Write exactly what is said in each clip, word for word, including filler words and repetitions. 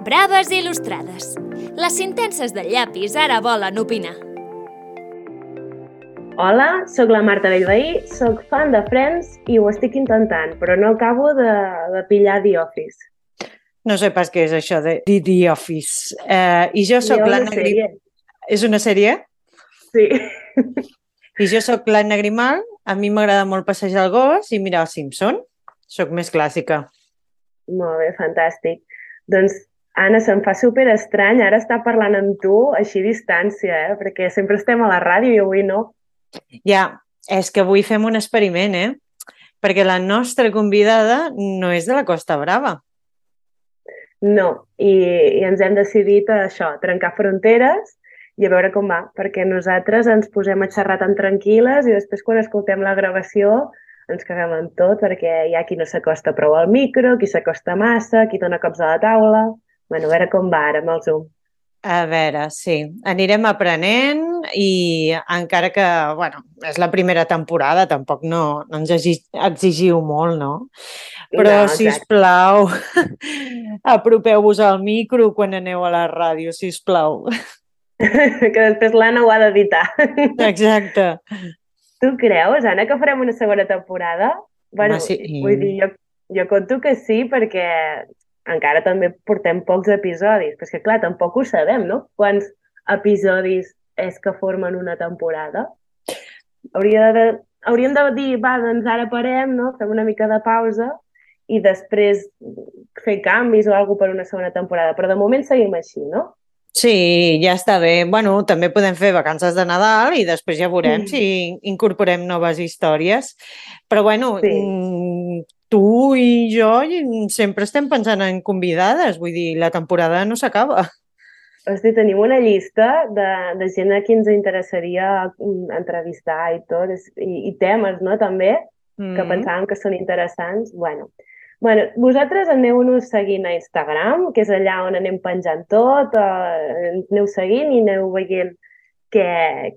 Braves i il·lustrades. Les sintenses del llapis ara volen opinar. Hola, sóc la Marta Bellveí, sóc fan de Friends i ho estic intentant, però no acabo de, de pillar The Office. No sé pas què és això de The, The Office. Eh, I jo sóc l'Anna Grimal. És una sèrie? Sí. I jo sóc l'Anna Grimal, a mi m'agrada molt passejar el gos i mirar els Simpson. Sóc més clàssica. Molt bé, fantàstic. Doncs, Anna, se'm fa super estrany ara estar parlant amb tu així a distància, eh? Perquè sempre estem a la ràdio i avui no. Ja, és que avui fem un experiment, eh? Perquè la nostra convidada no és de la Costa Brava. No, i, i ens hem decidit a això, trencar fronteres i a veure com va, perquè nosaltres ens posem a xerrar tan tranquil·les i després quan escoltem la gravació ens caguem en tot, perquè hi ha qui no s'acosta prou al micro, qui s'acosta massa, qui dona cops a la taula. Bueno, a veure com va ara amb el Zoom. A veure, sí. Anirem aprenent i encara que, bueno, és la primera temporada, tampoc no, no ens exigiu molt, no? Però, no, sisplau, apropeu-vos al micro quan aneu a la ràdio, sisplau. Que després l'Anna ho ha d'editar. Exacte. Tu creus, Anna, que farem una segona temporada? Bueno, sí. Vull dir, jo, jo conto que sí, perquè encara també portem pocs episodis. Però és que, clar, tampoc ho sabem, no? Quants episodis és que formen una temporada? Hauria de, hauríem de dir, va, doncs ara parem, no? Fem una mica de pausa i després fer canvis o alguna per una segona temporada. Però de moment seguim així, no? Sí, ja està bé. Bueno, també podem fer vacances de Nadal i després ja veurem si incorporem noves històries. Però, bueno, sí. Tu i jo sempre estem pensant en convidades. Vull dir, la temporada no s'acaba. Hosti, tenim una llista de, de gent a qui ens interessaria entrevistar i tot, i, i temes, no?, també, mm. que pensàvem que són interessants. Bueno, Bueno, vosaltres aneu-nos seguint a Instagram, que és allà on anem penjant tot, eh, aneu seguint i aneu veient què,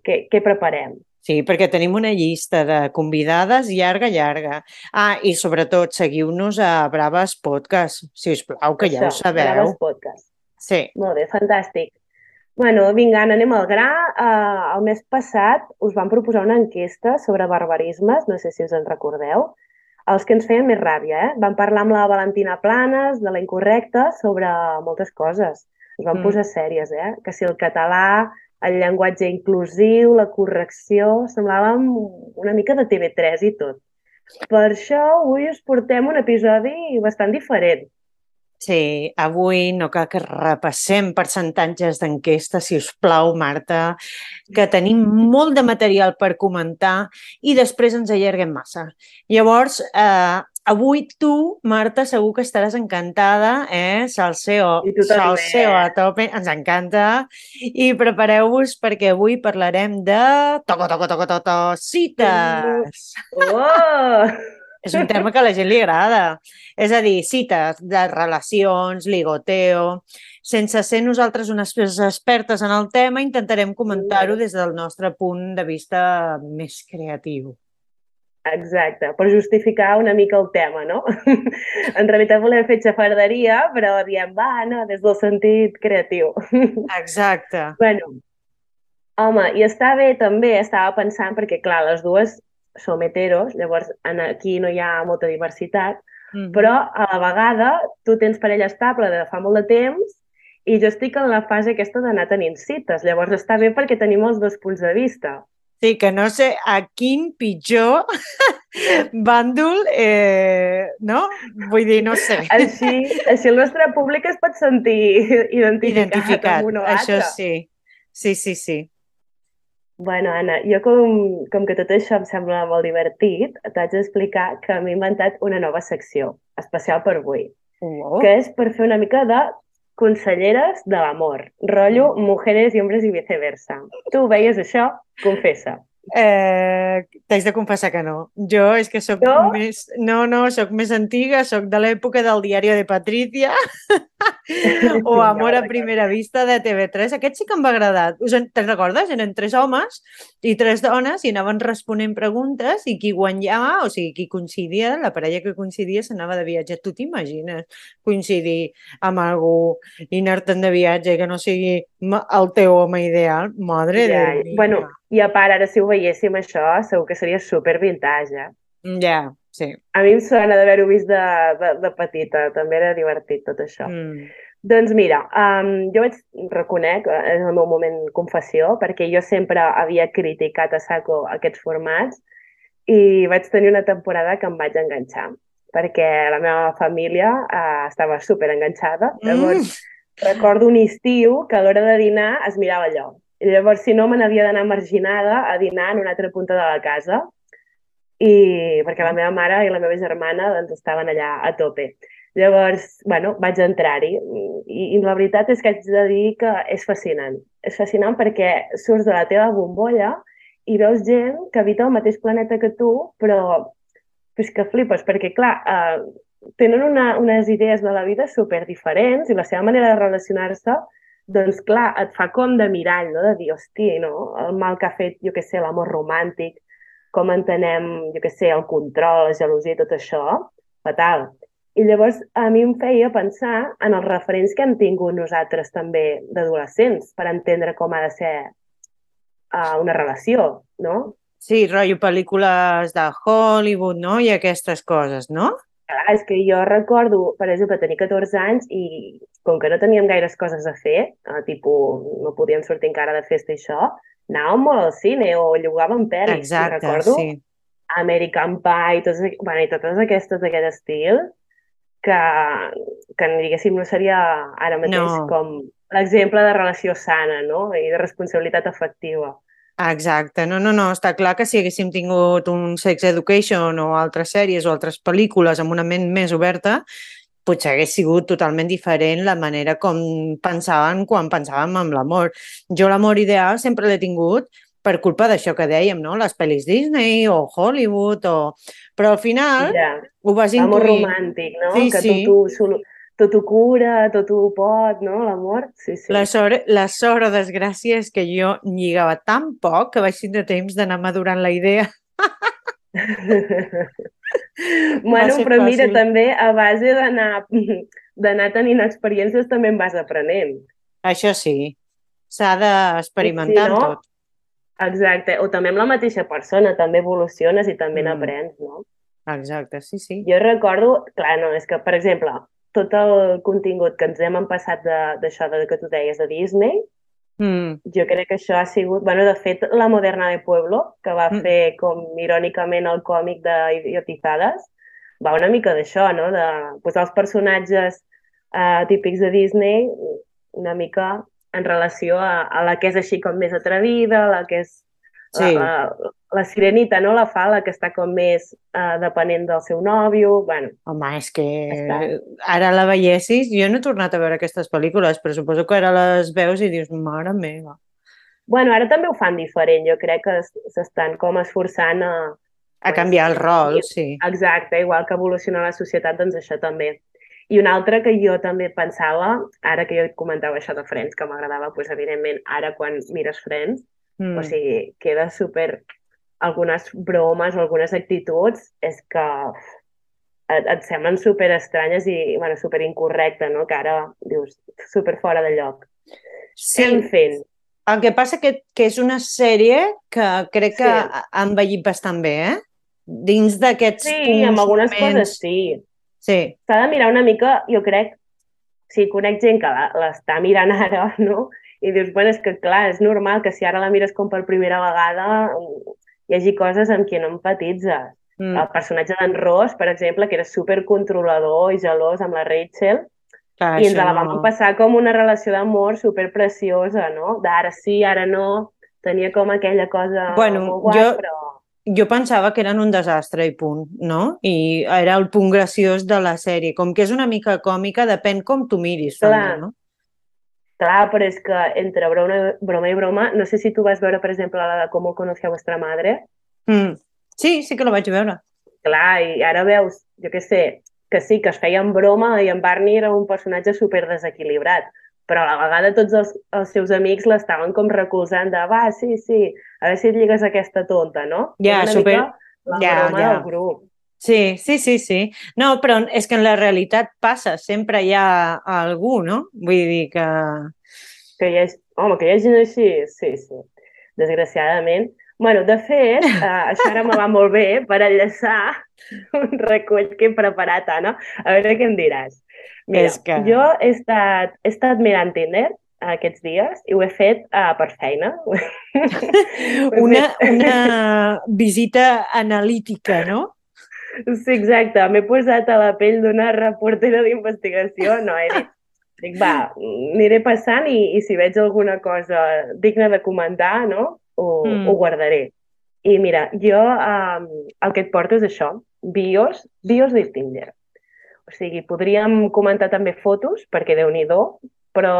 què, què preparem. Sí, perquè tenim una llista de convidades llarga, llarga. Ah, i sobretot seguiu-nos a Braves Podcast, si us plau, que Això, ja ho sabeu. Braves Podcast. Sí. Molt bé, fantàstic. Bueno, vinga, anem al gra. Uh, el mes passat us vam proposar una enquesta sobre barbarismes, no sé si us en recordeu, els que ens feien més ràbia, eh? Vam parlar amb la Valentina Planes, de la Incorrecta, sobre moltes coses. Ens vam mm. posar sèries, eh? Que si el català, el llenguatge inclusiu, la correcció, semblàvem una mica de T V tres i tot. Per això avui us portem un episodi bastant diferent. Sí, avui no cal que repassem percentatges d'enquesta, si us plau, Marta, que tenim molt de material per comentar i després ens allarguem massa. Llavors, eh, avui tu, Marta, segur que estaràs encantada, eh? Salseo, salseo a tope, ens encanta. I prepareu-vos perquè avui parlarem de... Toco, toco, toco, toco, cites! Oh! És un tema que a la gent li agrada. És a dir, cites de relacions, ligoteo... Sense ser nosaltres unes expertes en el tema, intentarem comentar-ho des del nostre punt de vista més creatiu. Exacte, per justificar una mica el tema, no? En realitat volem fer xafarderia, però diem, va, no, des del sentit creatiu. Exacte. Bueno, home, i està bé també, estava pensant, perquè clar, les dues som heteros, llavors aquí no hi ha molta diversitat, mm-hmm. però a la vegada tu tens parella estable de fa molt de temps i jo estic en la fase aquesta d'anar tenint cites, llavors està bé perquè tenim els dos punts de vista. Sí, que no sé a quin pitjor bàndol, eh, no? Vull dir, no sé. Així, així el nostre públic es pot sentir identificat, identificat. amb un o altre. Això sí, sí, sí, sí. Bueno, Anna, jo com, com que tot això em sembla molt divertit, t'haig d'explicar que m'he inventat una nova secció, especial per avui, oh. que és per fer una mica de conselleres de l'amor, rotllo mm. mujeres i hombres i viceversa. Tu veies això? Confessa. Eh, T'haig de confessar que no. Jo és que soc no? més... No, no, soc més antiga, soc de l'època del diari de Patricia. O Ja Amor me'n a recordo. primera vista de T V tres. Aquest sí que em va agradar. Us en- Te'n recordes? Eren tres homes i tres dones i anaven responent preguntes i qui guanyava, o sigui, qui coincidia, la parella que coincidia s'anava de viatge. Tu t'imagines coincidir amb algú i anar-te'n de viatge que no sigui ma- el teu home ideal? Madre de Ja, ja. Bueno, Déu. i a part, ara si ho veiéssim això, segur que seria super vintage, eh? Ja, sí. A mi em sona d'haver-ho vist de, de, de petita, també era divertit tot això. Mm. Doncs mira, um, jo vaig, reconec, eh, és el meu moment confessió, perquè jo sempre havia criticat a saco aquests formats i vaig tenir una temporada que em vaig enganxar, perquè la meva família uh, estava super enganxada. Mm. Llavors, recordo un estiu que a l'hora de dinar es mirava allò. I llavors, si no, me n'havia d'anar marginada a dinar en una altra punta de la casa, i perquè la meva mare i la meva germana doncs, estaven allà a tope. Llavors, bueno, vaig entrar-hi i, i la veritat és que haig de dir que és fascinant. És fascinant perquè surts de la teva bombolla i veus gent que habita el mateix planeta que tu, però és que flipes, perquè clar, eh, tenen una, unes idees de la vida super diferents i la seva manera de relacionar-se, doncs clar, et fa com de mirall, no? De dir, hosti, no? El mal que ha fet, jo què sé, l'amor romàntic, com entenem, jo què sé, el control, la gelosia i tot això, fatal. I llavors a mi em feia pensar en els referents que hem tingut nosaltres també d'adolescents per entendre com ha de ser uh, una relació, no? Sí, rotllo pel·lícules de Hollywood, no? I aquestes coses, no? Clar, és que jo recordo, per exemple, tenir catorze anys i com que no teníem gaires coses a fer, eh, tipus, no podíem sortir encara de festa i això, anàvem molt al cine o llogàvem pel·lis. I Exacte, recordo sí. American Pie i, tots, bueno, i totes aquestes d'aquest estil que, que diguéssim no seria ara mateix No, com l'exemple de relació sana, no? I de responsabilitat afectiva. exacte. No, no, no, està clar que si haguéssim tingut un Sex Education o altres sèries o altres pel·lícules amb una ment més oberta, potser hagués sigut totalment diferent la manera com pensaven quan pensàvem en l'amor. Jo l'amor ideal sempre l'he tingut per culpa d'això que dèiem, no? Les pel·lis Disney o Hollywood, o... però al final Ja, ho vas l'amor intuint. romàntic, no? Sí, Que sí. tot ho, solu- tot ho cura, tot ho pot, no? L'amor, sí, sí. La sort, la sort o desgràcia és que jo lligava tan poc que vaig tindre temps d'anar madurant la idea. Va Bueno, ser però mira, fàcil. també a base d'anar d'anar tenint experiències també en vas aprenent. Això sí, s'ha I si d'experimentar no, amb tot. exacte, o també amb la mateixa persona, també evoluciones i també Mm, n'aprens, no? exacte, sí, sí. Jo recordo, clar, no, és que, per exemple, tot el contingut que ens hem empassat de- d'això de, que tu deies de Disney, Mm, jo crec que això ha sigut... Bueno, de fet, La Moderna de Pueblo, que va mm, fer com irònicament el còmic d'Idiotizades, va una mica d'això, no? De posar els personatges eh, típics de Disney una mica en relació a, a la que és així com més atrevida, la que és la, sí. la, la sirenita, no? La fa, la que està com més eh, depenent del seu nòvio, bueno, Home, és que està... ara la veiessis, jo no he tornat a veure aquestes pel·lícules, però suposo que ara les veus i dius, mare meva. Bueno, ara també ho fan diferent, jo crec que es- s'estan com esforçant a... A Pues, canviar el rol, i- sí. exacte, igual que evoluciona la societat, doncs això també. I una altra que jo també pensava, ara que jo et comentava això de Friends, que m'agradava, doncs evidentment, ara quan mires Friends, Mm. o sigui, queda super... Algunes bromes o algunes actituds és que et, et semblen super estranyes i, bueno, super incorrecte, no? Que ara dius super fora de lloc. Sí, En fin, el que passa que, que és una sèrie que crec que sí. ha ha envellit bastant bé, eh? Dins d'aquests Sí, punts, amb algunes moments... coses sí. Sí, S'ha de mirar una mica, jo crec, sí, conec gent que la- l'està mirant ara, no? I dius, bueno, és que clar, és normal que si ara la mires com per primera vegada mm, hi hagi coses amb què no empatitzes. mm, El personatge d'en Ross, per exemple, que era super controlador i gelós amb la Rachel, clar, i ens això la vam no... passar com una relació d'amor super preciosa, no? D'ara sí, ara no, tenia com aquella cosa Bueno, molt guai, jo, però... jo pensava que eren un desastre i punt, no? I era el punt graciós de la sèrie. Com que és una mica còmica, depèn com tu miris, també, Clar, no? clar, però és que entre broma, broma i broma, no sé si tu vas veure, per exemple, la de Com conocí a vuestra madre. Mm. Sí, sí que la vaig veure. Clar, i ara veus, jo què sé, que sí, que es feien broma i en Barney era un personatge super desequilibrat, però a la vegada tots els, els seus amics l'estaven com recolzant de va, sí, sí, a veure si et lligues aquesta tonta, no? Ja, Era una super... mica la Ja, broma ja. del grup. Sí, sí, sí, sí. No, però és que en la realitat passa, sempre hi ha algú, no? Vull dir que... Que hi ha... Home, que hi ha gent així, sí, sí, desgraciadament. Bueno, de fet, eh, això ara me va molt bé per enllaçar un recull que he preparat, Anna. A veure què em diràs. Mira, És que... jo he estat, he estat mirant Tinder aquests dies i ho he fet uh, per feina. una, una visita analítica, no? Sí, exacte. M'he posat a la pell d'una reportera d'investigació. No, he dit, dic, va, aniré passant i, i si veig alguna cosa digna de comentar, no? Ho, mm. ho guardaré. I mira, jo um, el que et porto és això, bios, bios de Tinder. O sigui, podríem comentar també fotos, perquè Déu-n'hi-do, però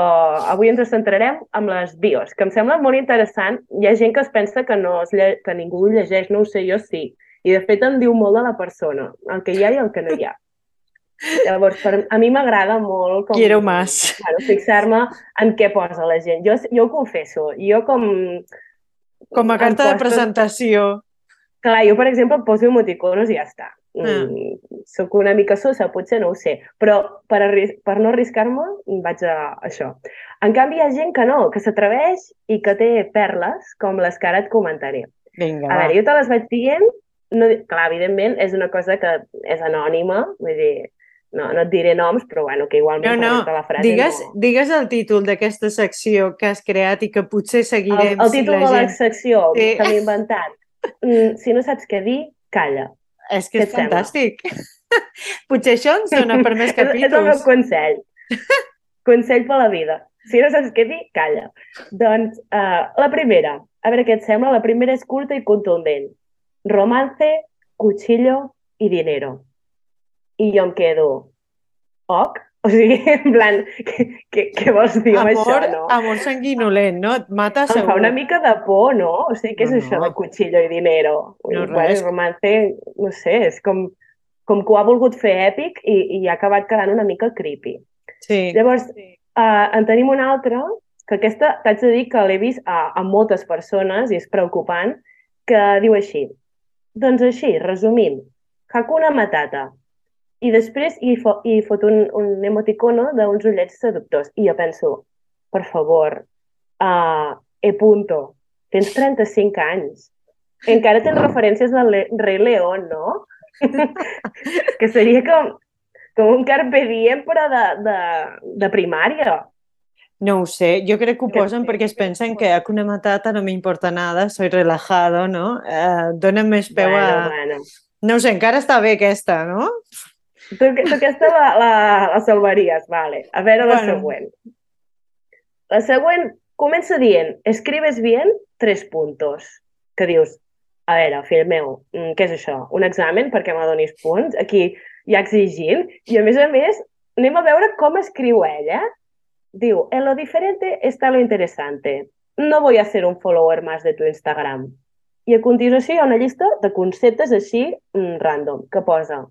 avui ens centrarem en les bios, que em sembla molt interessant. Hi ha gent que es pensa que, no es lle... que ningú ho llegeix, no ho sé, jo sí. I de fet em diu molt de la persona, el que hi ha i el que no hi ha. Llavors, per, a mi m'agrada molt com, Quiero más. Bueno, fixar-me en què posa la gent. Jo, jo ho confesso, jo com... Com a carta de presentació. Clar, jo, per exemple, em poso emoticonos i ja està. Mm. Mm, soc una mica sosa, potser no ho sé, però per, per no arriscar-me vaig a això. En canvi, hi ha gent que no, que s'atreveix i que té perles, com les que ara et comentaré. Vinga, a va. veure, jo te les vaig dient, no, clar, evidentment, és una cosa que és anònima, vull dir, no, no et diré noms, però bueno, que igualment no, no. la frase digues, no... Digues el títol d'aquesta secció que has creat i que potser seguirem. El, el títol si la de gent... la secció sí. que m'he inventat. Mm, si no saps què dir, calla. És que és fantàstic. Potser això ens dona per més capítols. és, és el meu consell. Consell per la vida. Si no saps què dir, calla. Doncs uh, la primera, a veure què et sembla, la primera és curta i contundent. Romance, cuchillo i dinero. I jo em quedo, ok? O sigui, en plan, què, què vols dir amb amor, això, no? Amor sanguinolent, no? Et mata segur. Em fa una mica de por, no? O sigui, què no, és això no. de cuchillo i dinero? No, bueno, res. romance, no sé, és com, com que ho ha volgut fer èpic i, i ha acabat quedant una mica creepy. Sí. Llavors, uh, en tenim una altra, que aquesta t'haig de dir que l'he vist a, a moltes persones i és preocupant, que diu així. Doncs així, resumint, Hakuna Matata. I després hi, fo hi fot un, un emoticono d'uns ullets seductors. I jo penso, per favor, uh, e punto, tens trenta-cinc anys. Encara tens referències del Le Rei León, no? Que seria com, com un carpe diem, però de, de, de primària. No ho sé, jo crec que ho posen perquè es pensen que Hakuna Matata no m'importa nada, soy relajado, no? Eh, dona més peu bueno, a... Bueno. No ho sé, encara està bé aquesta, no? Tu, tu aquesta la, la, la salvaries, vale. A veure la bueno. següent. La següent comença dient, escribes bien, tres puntos. Que dius, a veure, fill meu, què és això? Un examen perquè m'adonis punts? Aquí ja exigint. I a més a més, anem a veure com escriu ella. Diu, en lo diferente está lo interesante. No voy a ser un follower más de tu Instagram. I a continuació hi ha una llista de conceptes així mm, random, que posa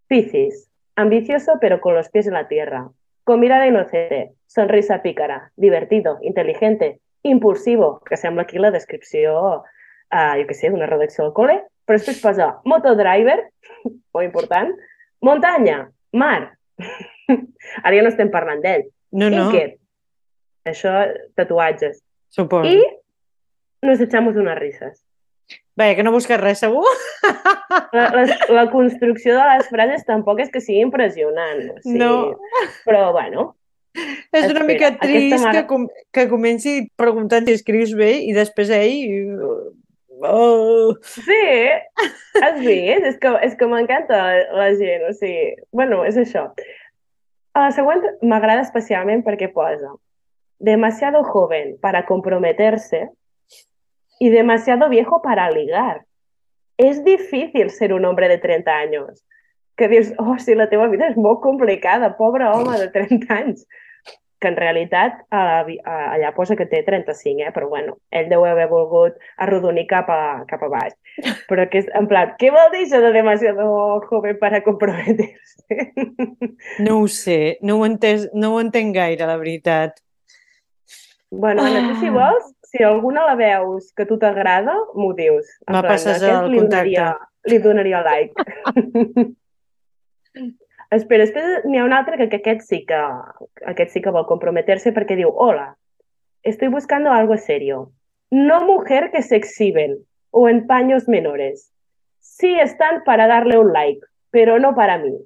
Piscis, ambicioso pero con los pies en la tierra, con mirada inocente, sonrisa pícara, divertido, inteligente, impulsivo, que sembla aquí la descripció, uh, jo què sé, d'una redacció al col·le, però després posa motodriver, molt important, muntanya, mar, ara ja no estem parlant d'ell, no, no. inquiet, això, tatuatges, suposo. I nos echamos unas risas. Bé, que no busques res, segur? La, la, la construcció de les frases tampoc és que sigui impressionant. O sigui, no. Però, bueno... És una espera, mica trist mare... que, com, que comenci preguntant si escrius bé i després ell... Oh. Sí, has vist? És que, és que m'encanta la gent, o sigui... Bueno, és això. A la següent m'agrada especialment perquè posa demasiado joven para comprometerse y demasiado viejo para ligar. Es difícil ser un hombre de trenta años. Que dius, oh, si la teva vida és molt complicada, pobre home de trenta anys. que en realitat allà posa que té trenta-cinc, eh? Però bueno, ell deu haver volgut arrodonir cap a, cap a baix. Però que és, en plan, què vol dir això de demasiado joven para comprometerse? No ho sé, no ho, entès, no ho entenc gaire, la veritat. Bueno, Anna, tu si vols, si alguna la veus que a tu t'agrada, m'ho dius. En Me plan, passes aquest el li contacte. donaria, li donaria like. Espera, després n'hi ha un altre que, que aquest sí que aquest sí que vol comprometerse perquè diu: hola, estoy buscando algo serio. No mujer que se exhiben o en paños menores. Sí están para darle un like, pero no para mí.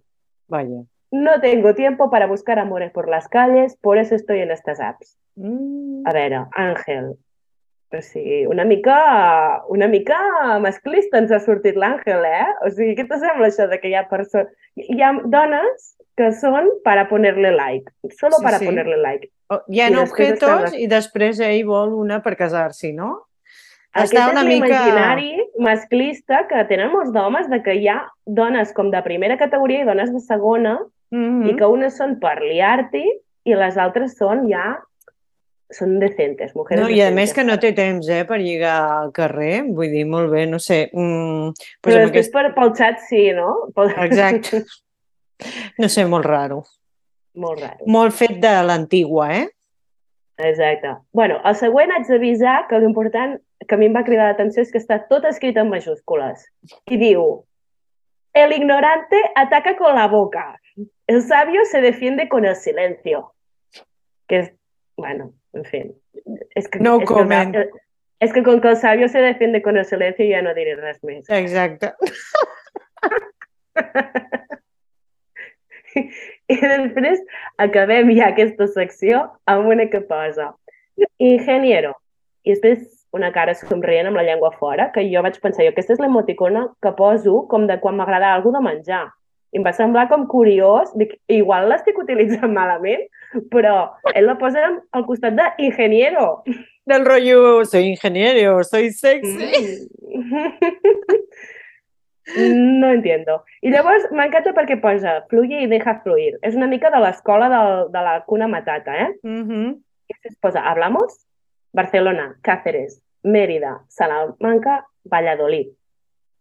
Vaya. No tengo tiempo para buscar amores por las calles, por eso estoy en estas apps. Mm. A veure, Àngel, o sigui, una mica, una mica masclista ens ha sortit l'Àngel, eh? O sigui, què t'assembla això de que hi ha persones... Hi ha dones que són para ponerle like, solo Sí, para sí. ponerle like. Oh, hi ha I després objetos estan... i després ell vol una per casar-s'hi, no? Aquest Està és una mica... l'imaginari masclista que tenen molts d'homes, de que hi ha dones com de primera categoria i dones de segona, Mm-hmm. i que unes són per liar-t'hi i les altres són ja... són decentes, mujeres No, i a decentes. més que no té temps, eh, per lligar al carrer, vull dir, molt bé, no sé. Mm, pues Però amb després aquest... per, pel xat sí, no? Pel... Exacte. No sé, molt raro. Molt raro. Molt fet de l'antigua, eh? Exacte. Bueno, el següent haig d'avisar que l'important que a mi em va cridar l'atenció és que està tot escrit en majúscules. I diu: el ignorante ataca con la boca. El sabio se defiende con el silencio. Que és, bueno, en fi. És que, No és comment. Que, és que con que el sabio se defiende con el silencio ja no diré res més. Exacte. I després acabem ja aquesta secció amb una que posa ingeniero. I després una cara somrient amb la llengua fora, que jo vaig pensar, jo, aquesta és l'emoticona que poso com de quan m'agrada alguna de menjar. I em va semblar com curiós, dic, igual l'estic utilitzant malament, però ell la posa al costat de ingeniero. Del rotllo, soy ingeniero, soy sexy. Mm. No entiendo. I llavors m'encanta perquè posa fluye y deja fluir. És una mica de l'escola de, de la Hakuna Matata, eh? Mm-hmm. I es posa, hablamos, Barcelona, Cáceres, Mérida, Salamanca, Valladolid.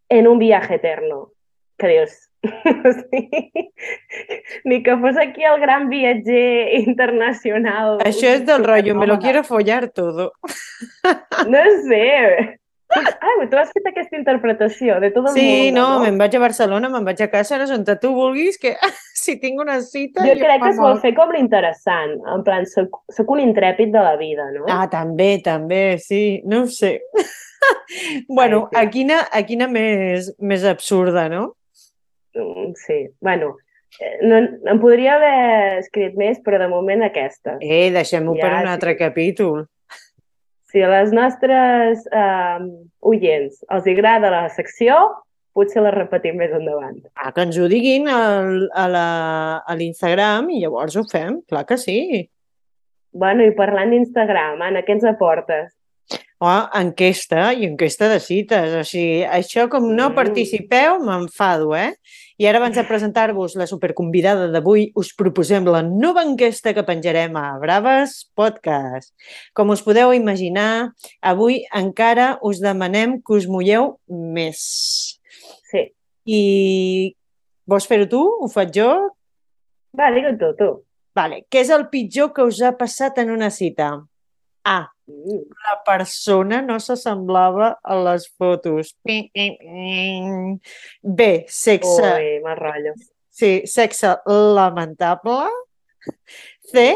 En un viaje eterno. Que dius... Ni que fos aquí el gran viatger internacional. Això és del rotllo, me lo quiero follar todo. No sé... Ah, tu has fet aquesta interpretació de tot el sí, món. Sí, no, no? Me'n vaig a Barcelona, me'n vaig a Càceres, on tu vulguis, que si tinc una cita... Jo, jo crec que es vol fer com l'interessant, en plan, soc, soc un intrèpid de la vida, no? Ah, també, també, sí, no ho sé. Bueno, Ai, sí. a quina, a quina més, més absurda, no? Sí, bueno, no, em podria haver escrit més, però de moment aquesta. Eh, deixem-ho ja, per un altre sí. capítol. Si a les nostres eh, oients els agrada la secció, potser la repetim més endavant. Ah, que ens ho diguin al, a l'Instagram i llavors ho fem, clar que sí. Bueno, i parlant d'Instagram, Anna, què ens aportes? Oh, enquesta i enquesta de cites. O sigui, això com no participeu, m'enfado, eh? I ara, abans de presentar-vos la superconvidada d'avui, us proposem la nova enquesta que penjarem a Braves Podcast. Com us podeu imaginar, avui encara us demanem que us mulleu més. Sí. I vols fer-ho tu? Ho faig jo? Va, digue-ho tu, tu. Vale. Què és el pitjor que us ha passat en una cita? A. La persona no s'assemblava a les fotos. B. Sexe... Ui, mal rotllo. Sí, sexe lamentable. C.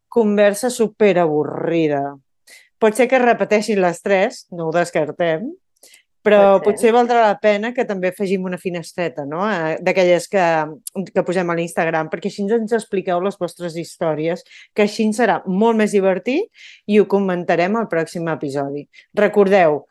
Conversa superavorrida. Pot ser que repeteixin les tres, no ho descartem, però potser valdrà la pena que també afegim una finestreta, no? D'aquelles que, que posem a l'Instagram, perquè així ens expliqueu les vostres històries, que així serà molt més divertit i ho comentarem al pròxim episodi. Recordeu,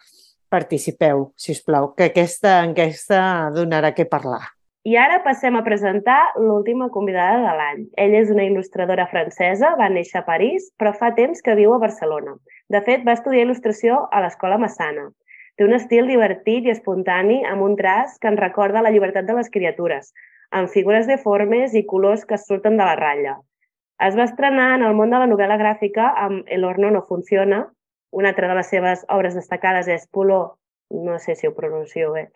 participeu, si us plau, que aquesta enquesta donarà què parlar. I ara passem a presentar l'última convidada de l'any. Ella és una il·lustradora francesa, va néixer a París, però fa temps que viu a Barcelona. De fet, va estudiar il·lustració a l'Escola Massana. Té un estil divertit i espontani amb un traç que ens recorda la llibertat de les criatures, amb figures deformes i colors que surten de la ratlla. Es va estrenar en el món de la novel·la gràfica amb El horno no funciona. Una altra de les seves obres destacades és Puló, no sé si ho pronuncio bé,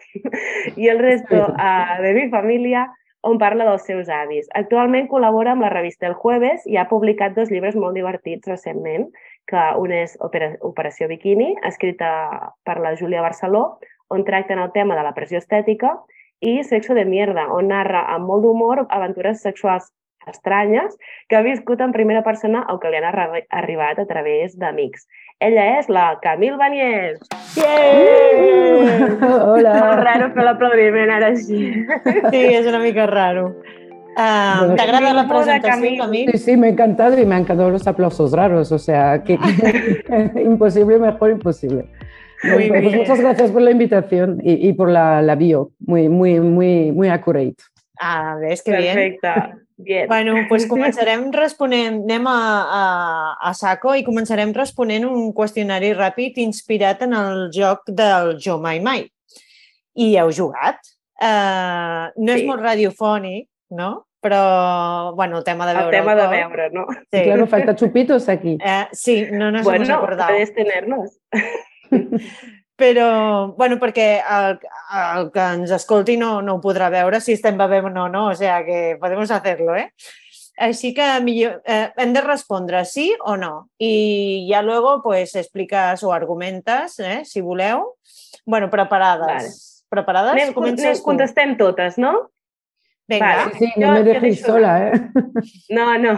i el resto uh, de mi família, on parla dels seus avis. Actualment col·labora amb la revista El Jueves i ha publicat dos llibres molt divertits recentment, que un és Operació Bikini, escrita per la Júlia Barceló, on tracten el tema de la pressió estètica, i Sexo de mierda, on narra amb molt d'humor aventures sexuals estranyes que ha viscut en primera persona o que li han arribat a través d'amics. Ella és la Camille Baniés. Yeah! Hola! És raro fer l'aplaudiment ara així. Sí, és una mica raro. Uh, ¿Te agrada la presentación, Camille? Sí, sí, me ha encantado y me han encantado los aplausos raros, o sea, que, que imposible, mejor imposible. Muy pues, bien. Muchas gracias por la invitación y, y por la, la bio, muy, muy, muy, muy accurate. Ah, ves que bien. Perfecte. Bien. Bueno, doncs començarem responent, anem a, a, a saco i començarem responent un qüestionari ràpid inspirat en el joc del Jo Mai Mai. I heu jugat. Uh, no sí. És molt radiofònic, no? Però, bueno, el tema de veure el tema de veure, no? Sí. Y claro, falta chupitos aquí. Uh, sí, no nos bueno, hemos acordado. Bueno, puedes tenerlos. Però, bueno, perquè el, el que ens escolti no, no ho podrà veure si estem bevent o no, no, o sea que podemos hacerlo, eh? Així que millor, eh, hem de respondre sí o no. I ja luego, pues, explicas o argumentes, eh, si voleu. Bueno, preparades. Vale. Preparades? Anem, Comences tu. Contestem totes, no? Vinga. Vale. Sí, sí, no jo, me dejéis sola, eh? No, no.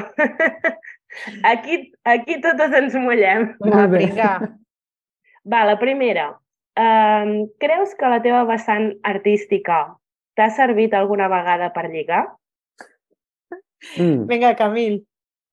Aquí, aquí totes ens mullem. Va, vinga. Va, la primera. Um, creus que la teva vessant artística t'ha servit alguna vegada per lligar? Mm. Venga, Camille.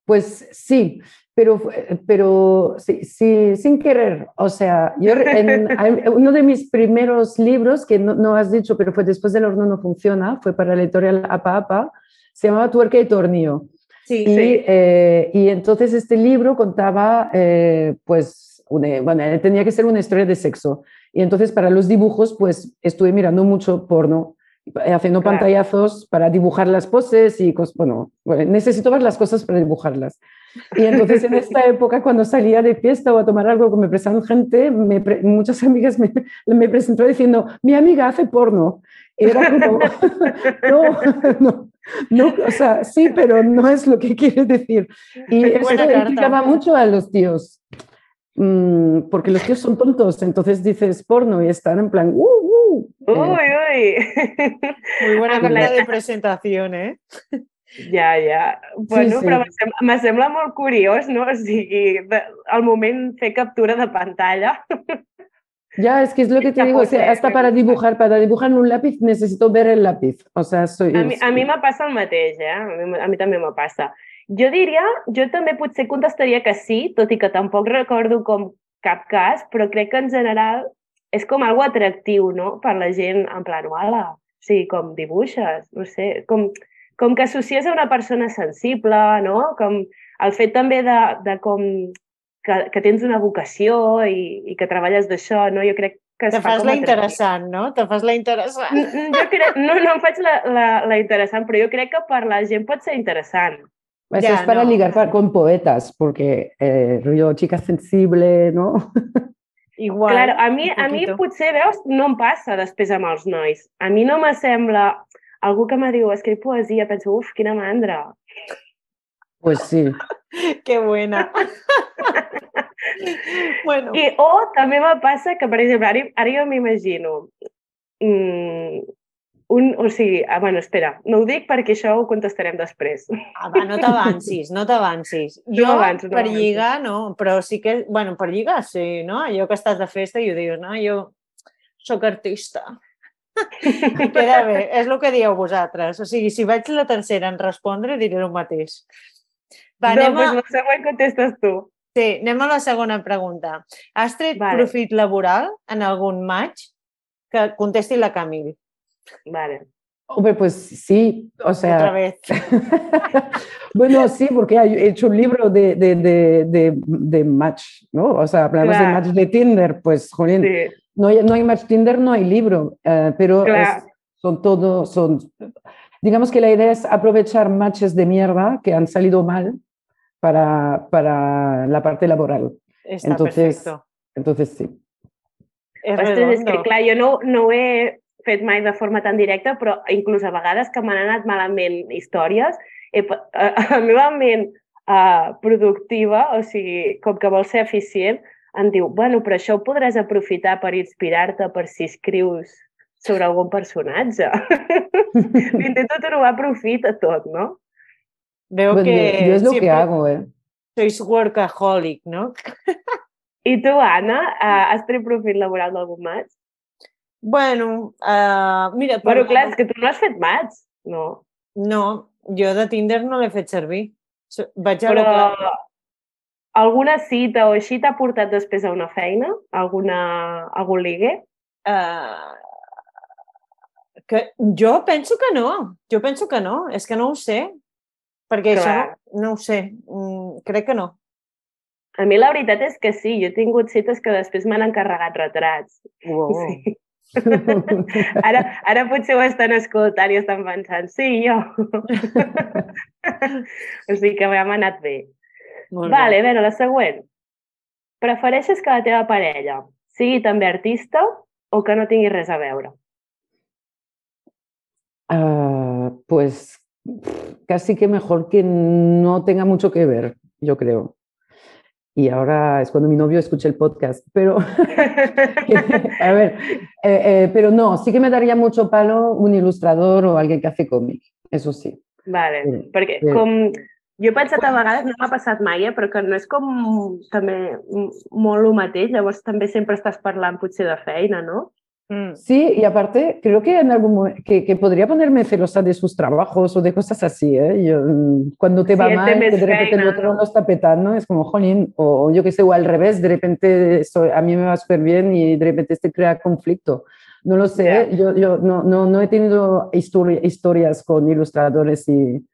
Pues sí, pero, pero sí, sí, sin querer. O sea, yo en, en uno de mis primeros libros, que no, no has dicho, pero fue después del horno no funciona, fue para la editorial Apa Apa, se llamaba Tuerca y Tornillo. Sí, y, sí. Eh, y entonces este libro contaba, eh, pues, una, bueno, tenía que ser una historia de sexo. Y entonces para los dibujos, pues, estuve mirando mucho porno, haciendo claro. pantallazos para dibujar las poses y cosas, bueno, bueno, necesito ver las cosas para dibujarlas. Y entonces en esta época, cuando salía de fiesta o a tomar algo que me prestaban gente, me pre muchas amigas me, me presentó diciendo, mi amiga hace porno. Y era como, no, no, no, o sea, sí, pero no es lo que quiere decir. Y eso implicaba mucho a los tíos. Porque los tíos son tontos, entonces dices porno y están en plan uh, uh, uy, uy. Muy buena carta de presentación, eh? Ja, ja. Bueno, sí, sí. Però me sembla molt curiós, no? O sigui, al moment fer captura de pantalla. Ya, es que es lo que te digo, o sea, hasta para dibujar, para dibujar en un lápiz necesito ver el lápiz. O sea, soy... A mi, a mi me passa el mateix, eh? A mi, a mi també me passa. Jo diria, jo també potser contestaria que sí, tot i que tampoc recordo com cap cas, però crec que en general és com algo atractiu, no?, per la gent, en plan, uala, o sigui, com dibuixes, no sé, com, com que associes a una persona sensible, no?, com el fet també de, de com que, que tens una vocació i, i que treballes d'això, no?, jo crec que es Te fa fas com la interessant, no? Te fas la interessant. Jo crec, no, no em faig la, la, la interessant, però jo crec que per la gent pot ser interessant. Eso ya, es para no. ligar con poetas, porque eh, rollo chica sensible, ¿no? Igual. Claro, a mi, a mi potser, veus, no em passa després amb els nois. A mi no me sembla... Algú que me diu, escriu poesia, penso, uf, quina mandra. Pues sí. Qué buena. Bueno. I, o també me passa que, per exemple, ara, ara jo m'imagino... Mmm, Un, o sigui, ah, bueno, espera, no ho dic perquè això ho contestarem després. Ah, va, no t'avancis, no t'avancis. Jo, no avanço, no per avanço. Lligar, no, però sí que, bueno, per lligar, sí, no? Allò que estàs de festa i ho dius, no, jo soc artista. Queda bé, és el que dieu vosaltres. O sigui, si vaig la tercera en respondre, diré el mateix. Va, no, doncs a... la següent contestes tu. Sí, anem a la segona pregunta. Has tret vale. profit laboral en algun match? Que contesti la Camille. Vale. Hombre, pues sí, o sea... Otra vez. Bueno, sí, porque he hecho un libro de, de, de, de, de match, ¿no? O sea, hablamos claro. de match de Tinder, pues, jolín, sí. no, hay, no hay match Tinder, no hay libro, uh, pero claro. es, son todo, son... Digamos que la idea es aprovechar matches de mierda que han salido mal para, para la parte laboral. Està Entonces, perfecto. entonces sí. És Ostres, és que redondo. clar, jo no, no ho he fet mai de forma tan directa, però inclús a vegades que m'han anat malament històries, he, a, a la meva ment uh, productiva, o sigui, com que vol ser eficient, em diu, bueno, però això ho podràs aprofitar per inspirar-te per si escrius sobre algun personatge. Intento trobar profit a tot, no? Veo Bueno, que yo, yo es lo que siempre hago, ¿eh? sois workaholic, ¿no? I tu, Anna, uh, has tret profit laboral d'algun match? Bueno, uh, mira... Bueno, per- clar, és que tu no has fet match, no? No, jo de Tinder no l'he fet servir. So- Vaig a Però lo clar. alguna cita o així t'ha portat després a una feina? Alguna, algun ligue? Uh, que jo penso que no. Jo penso que no. És que no ho sé. Perquè Clar. això no, no ho sé. Mm, crec que no. A mi la veritat és que sí, jo he tingut cites que després m'han encarregat retrats. Wow. Sí. Ara, ara potser ho estan escoltant i estan pensant, sí, jo. O sigui que m'ha anat bé. Molt Vale, bé. a veure, la següent. Prefereixes que la teva parella sigui també artista o que no tingui res a veure? Ah, pues casi que mejor que no tenga mucho que ver, yo creo. Y ahora es cuando mi novio escucha el podcast, pero a ver, eh, eh, pero no, sí que me daría mucho palo un ilustrador o alguien que hace cómic, eso sí. Vale, Sí, perquè sí. com... Jo he pensat a vegades, no m'ha passat mai, eh, però que no és com també m- molt el mateix, llavors també sempre estàs parlant potser de feina, no? Mm. Sí, y aparte creo que en algún momento que, que podría ponerme celosa de sus trabajos o de cosas así, ¿eh? Yo, mm, cuando te Sí, va él té mal, més que de repente el feina, otro no? lo está petando, es como, jolín, o yo que sé, o al revés, de repente esto- a mí me va súper bien y de repente este crea conflicto. No lo sé, Ya. ¿eh? yo, yo no, no, no he tenido histori- historias con ilustradores y,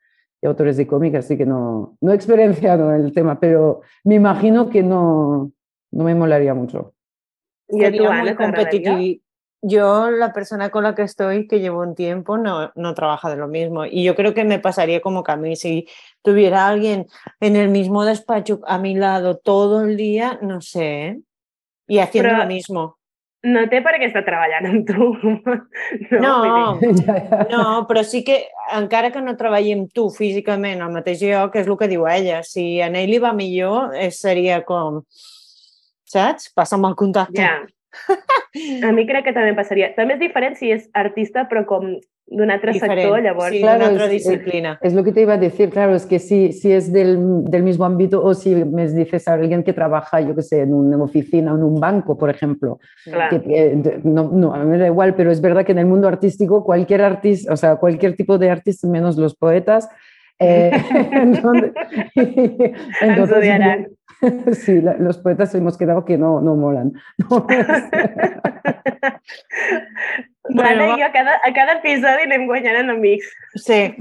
y autores de cómic, así que no, no he experienciado el tema, pero me imagino que no, no me molaría mucho. I a tu, Sería muy Anna, t'agradaria? competitivo. Yo, la persona con la que estoy, que llevo un tiempo, no, no trabaja de lo mismo. Y yo creo que me pasaría como que a mí, si tuviera alguien en el mismo despacho a mi lado todo el día, no sé, ¿eh? Y haciendo Però lo mismo. no té per què estar treballant amb tu. No, No, vull dir, Ya, ya. no, però sí que, encara que no treballi amb tu físicament al mateix lloc, és el que diu ella. Si a ell li va millor, eh, seria com, saps? Passa'm el contacte. ja. A mi crec que també em passaria. També és diferent si és artista, però com d'un altre sector, Diferent, llavors... sí, Claro, d'una altra es- es- disciplina. Es lo que te iba a decir, claro, es que si, si es del, del mismo ámbito o si me dices a alguien que trabaja, yo qué sé, en una oficina o en un banco, por ejemplo, Clar. que, que- no, no, a mí me da igual, pero es verdad que en el mundo artístico cualquier artista, o sea, cualquier tipo de artista, menos los poetas, eh, entonces, Ens entonces, odiaran. sí, la- los poetas hemos quedado que no, no molan. No, Bueno, L'Anna va- i jo a cada, a cada episodi anem guanyant enemics. Sí,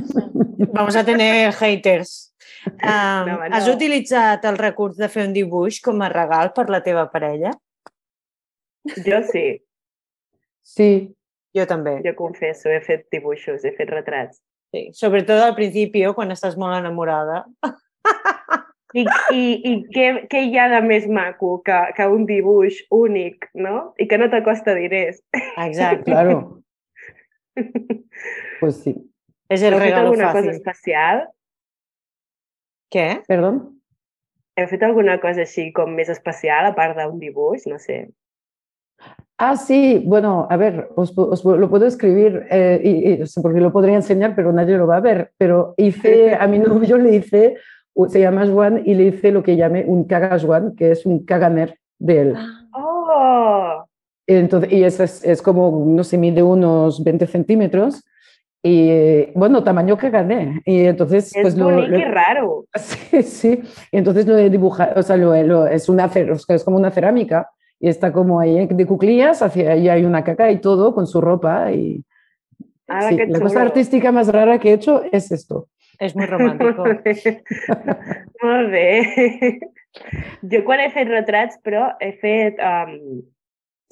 vamos a tener haters. Um, No, home, has no. utilitzat el recurs de fer un dibuix com a regal per la teva parella? Jo sí, sí, Jo també. jo confesso, he fet dibuixos, he fet retrats. Sí. Sobretot al principi, quan estàs molt enamorada. I, i, i què, què hi ha de més maco que, que un dibuix únic, no? I que no t'acosta diners. Exacte. claro, pues sí. És el Heu fet regalo alguna cosa fàcil. especial? Què? Perdón. Heu fet alguna cosa així com més especial, a part d'un dibuix? No sé. Ah, sí, bueno, a ver, os, pu- os pu- lo puedo escribir, eh, y, y- o sea, porque lo podría enseñar, pero nadie lo va a ver. Pero hice, a mi novio le hice, u- se llama Juan, y le hice lo que llamé un caga Juan, que es un caganer de él. Oh! Entonces, y eso es, es como, no sé, mide unos veinte centímetros, y eh, bueno, tamaño caganer. Y entonces, És pues lo, bonic lo- i raro. Sí, sí. Y entonces lo he dibujado, o sea, lo, lo- es, una, cer- o sea, es como una cerámica y está como ahí de cuclillas, hacia ahí hay una caca y todo con su ropa. Y Ah, sí, que la cosa xulo. artística más rara que he hecho es esto. És molt romàntic. Molt bé. Molt bé. Jo quan he fet retrats, però he fet um,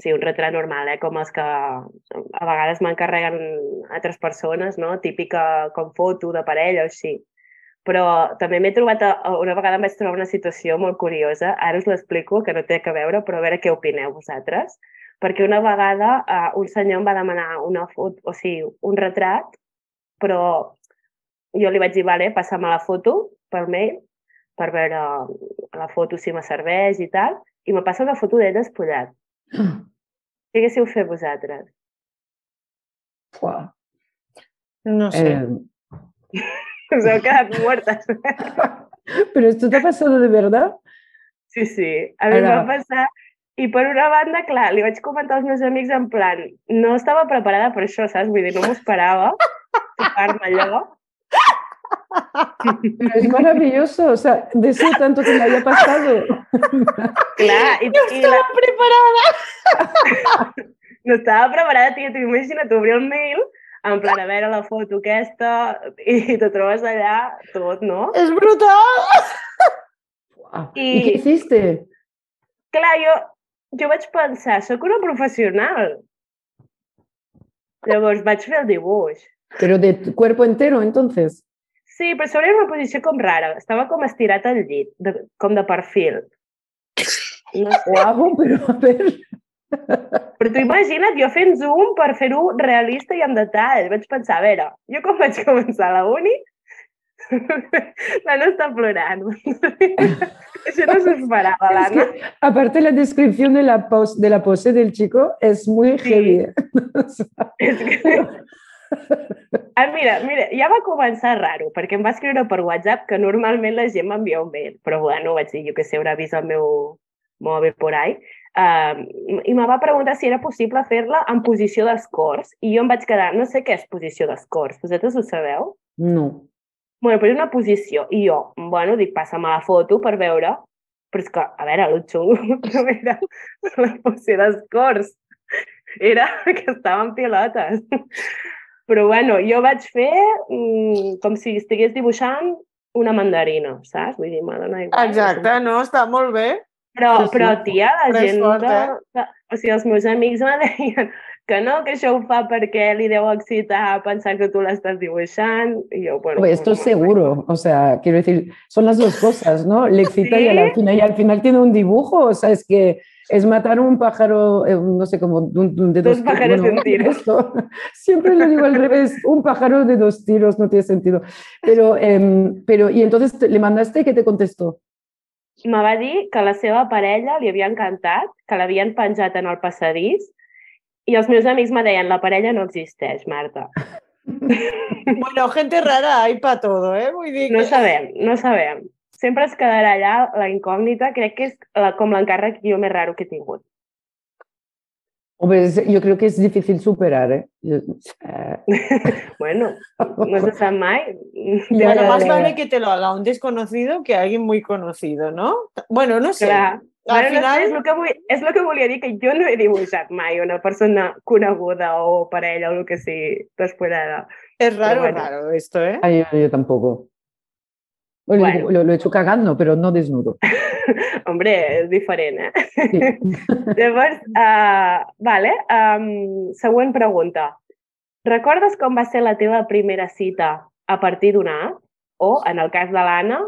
sí, un retrat normal, eh? Com els que a vegades m'encarreguen altres persones, no? Típica com foto de parella o així. Però també m'he trobat, una vegada em vaig trobar una situació molt curiosa, ara us l'explico, que no té que veure, però a veure què opineu vosaltres. Perquè una vegada uh, un senyor em va demanar una foto, o sigui, un retrat, però jo li vaig dir, vale, passa'm la foto per mail, per veure la foto si me serveix i tal, i me passa una foto d'ell despullat. Què haguéssiu fet vosaltres? Uah. No sé. Eh, Us heu quedat muertes. ¿Pero esto te ha pasado de verdad? Sí, sí, a mi em Ara. va passar. I per una banda, clar, li vaig comentar als meus amics en plan, no estava preparada per això, saps? Vull dir, no m'ho esperava, tocar-me allò. Pero es maravilloso, o sea, deseo tanto que me haya pasado. Clar, i, No i la... estava preparada! no estava preparada, tia, t'ho imagina't obrir el mail, en plan, a veure la foto aquesta, i te trobes allà tot, no? És brutal! Uah. I- ¿Y qué hiciste? Clar, jo, jo vaig pensar, sóc una professional. Llavors vaig fer el dibuix. Pero de tu cuerpo entero, entonces. Sí, però sobre una posició com rara. Estava com estirat al llit, de, com de perfil. No sé. Guau, pero a ver. Però tu imagina't, jo fent zoom per fer-ho realista i amb detall. Vaig pensar, a veure, jo com vaig començar a la uni, l'Anna està plorant. Això no s'ho esperava, Es l'Anna. que, aparte la descripción de la, pos, de la pose del chico es muy Sí. heavy. O sea, És que... Ah, mira, mira, ja va començar raro, perquè em va escriure per WhatsApp que normalment la gent m'envia un mail, però bueno, vaig dir, jo que sé, haurà vist el meu mòbil por ahí, uh, i me va preguntar si era possible fer-la en posició d'escorç, i jo em vaig quedar, no sé què és posició d'escorç, vosaltres ho sabeu? no. Bueno, però és una posició, i jo, bueno, dic, passa'm la foto per veure, però és que, a veure, el xungo no era la posició d'escorç, era que estava en pilotes. Però bueno, jo vaig fer mm, com si estigués dibuixant una mandarina, saps? Vull dir, me dona igual. Exacte, no? Està molt bé. Però, Sí, sí. però tia, la Però és gent... fort, de, eh? de, o sigui, els meus amics me deien que no, que això ho fa perquè li deu excitar pensar que tu l'estàs dibuixant. I jo, bueno... Hombre, esto es seguro, o sea, quiero decir, son las dos cosas, ¿no? Le excita Sí. y, al final, y al final tiene un dibujo, o sea, es que es matar un pájaro, eh, no sé, como de, un- de Dos dos pájaros de un tiro. esto. Siempre lo digo al revés, un pájaro de dos tiros, no tiene sentido. Pero, em, pero y entonces te- le mandaste, ¿qué te contestó? Me va dir que la seva parella li havia encantat, que l'havien penjat en el passadís, i els meus amics me deien, la parella no existeix, Marta. Bueno, gente rara hay para todo, eh? Vull dir No que... sabem, no sabem. Sempre es quedarà allà la incògnita, crec que és la, com l'encàrrec jo més raro que he tingut. Hombre, es- yo creo que es difícil superar, ¿eh? Yo- eh, Bueno, no se sap mai. Ya, Bueno, ya, más ya, vale ya. que te lo haga un desconocido que alguien muy conocido, ¿no? Bueno, no sé. Clar. Al Bueno, no sé, és, final... el que vull, és el que volia dir, que jo no he dibuixat mai una persona coneguda o parella o el que sigui despullada. Es raro, Pero bueno. raro esto, ¿eh? Ay, yo, yo tampoco. Bueno, Bueno. digo, Lo, lo he hecho cagando, pero no desnudo. Hombre, és diferent, eh? Sí. Llavors, uh, vale, um, següent pregunta. Recordes com va ser la teva primera cita a partir d'una app? O, en el cas de l'Anna,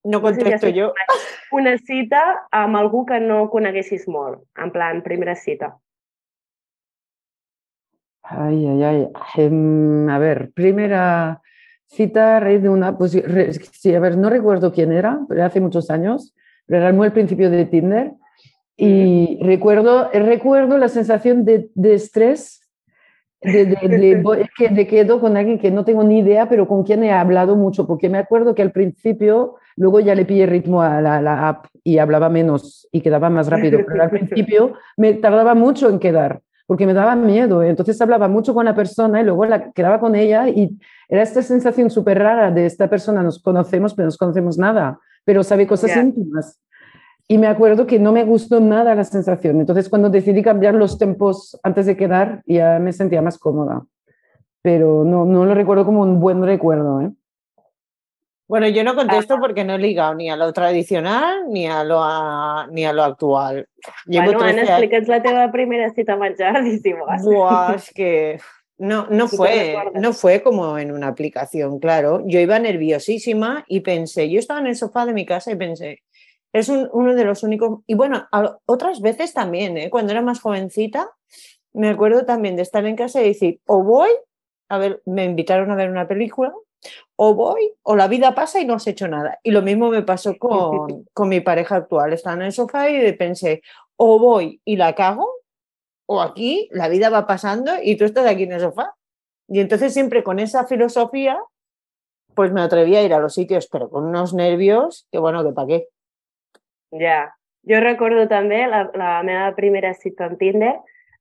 No no sé si contesto has yo. una cita amb algú que no coneguessis molt, en plan, primera cita. Ay, ay, ay. Em, a ver, primera cita a raíz de una... Pues, re- sí, a ver, no recuerdo quién era, pero hace muchos años, pero era muy al principio de Tinder. Y recuerdo, recuerdo la sensación de, de estrés, de, de, de, voy- que de quedo con alguien que no tengo ni idea, pero con quien he hablado mucho, porque me acuerdo que al principio, luego ya le pillé ritmo a la, la app y hablaba menos y quedaba más rápido, pero al principio me tardaba mucho en quedar, porque me daba miedo. Entonces hablaba mucho con la persona y luego la, quedaba con ella y era esta sensación súper rara de esta persona, nos conocemos, pero no nos conocemos nada, pero sabe cosas Ya. íntimas. Y me acuerdo que no me gustó nada la sensación. Entonces, cuando decidí cambiar los tempos antes de quedar, ya me sentía más cómoda. Pero no, no lo recuerdo como un buen recuerdo, ¿eh? Bueno, yo no contesto porque no he ligado ni a lo tradicional ni a lo, a- ni a lo actual. Llevo Bueno, Anna, trece años. explica'ns la teva primera cita a menjar, si vols. Buah, és que... No, no, ¿Tú te fue, recuerdas? no fue como en una aplicación, claro. Yo iba nerviosísima y pensé, yo estaba en el sofá de mi casa y pensé, es un- uno de los únicos... Y bueno, a- otras veces también, ¿eh? Cuando era más jovencita, me acuerdo también de estar en casa y decir, o voy, a ver, me invitaron a ver una película, o voy, o la vida pasa y no has hecho nada. Y lo mismo me pasó con, con mi pareja actual. Estaba en el sofá y pensé, o voy y la cago, o aquí la vida va pasando y tú estás aquí en el sofá. Y entonces siempre con esa filosofía, pues me atreví a ir a los sitios, pero con unos nervios, que bueno, que pa' què. Ja. Jo recordo també la, la meva primera cita en Tinder,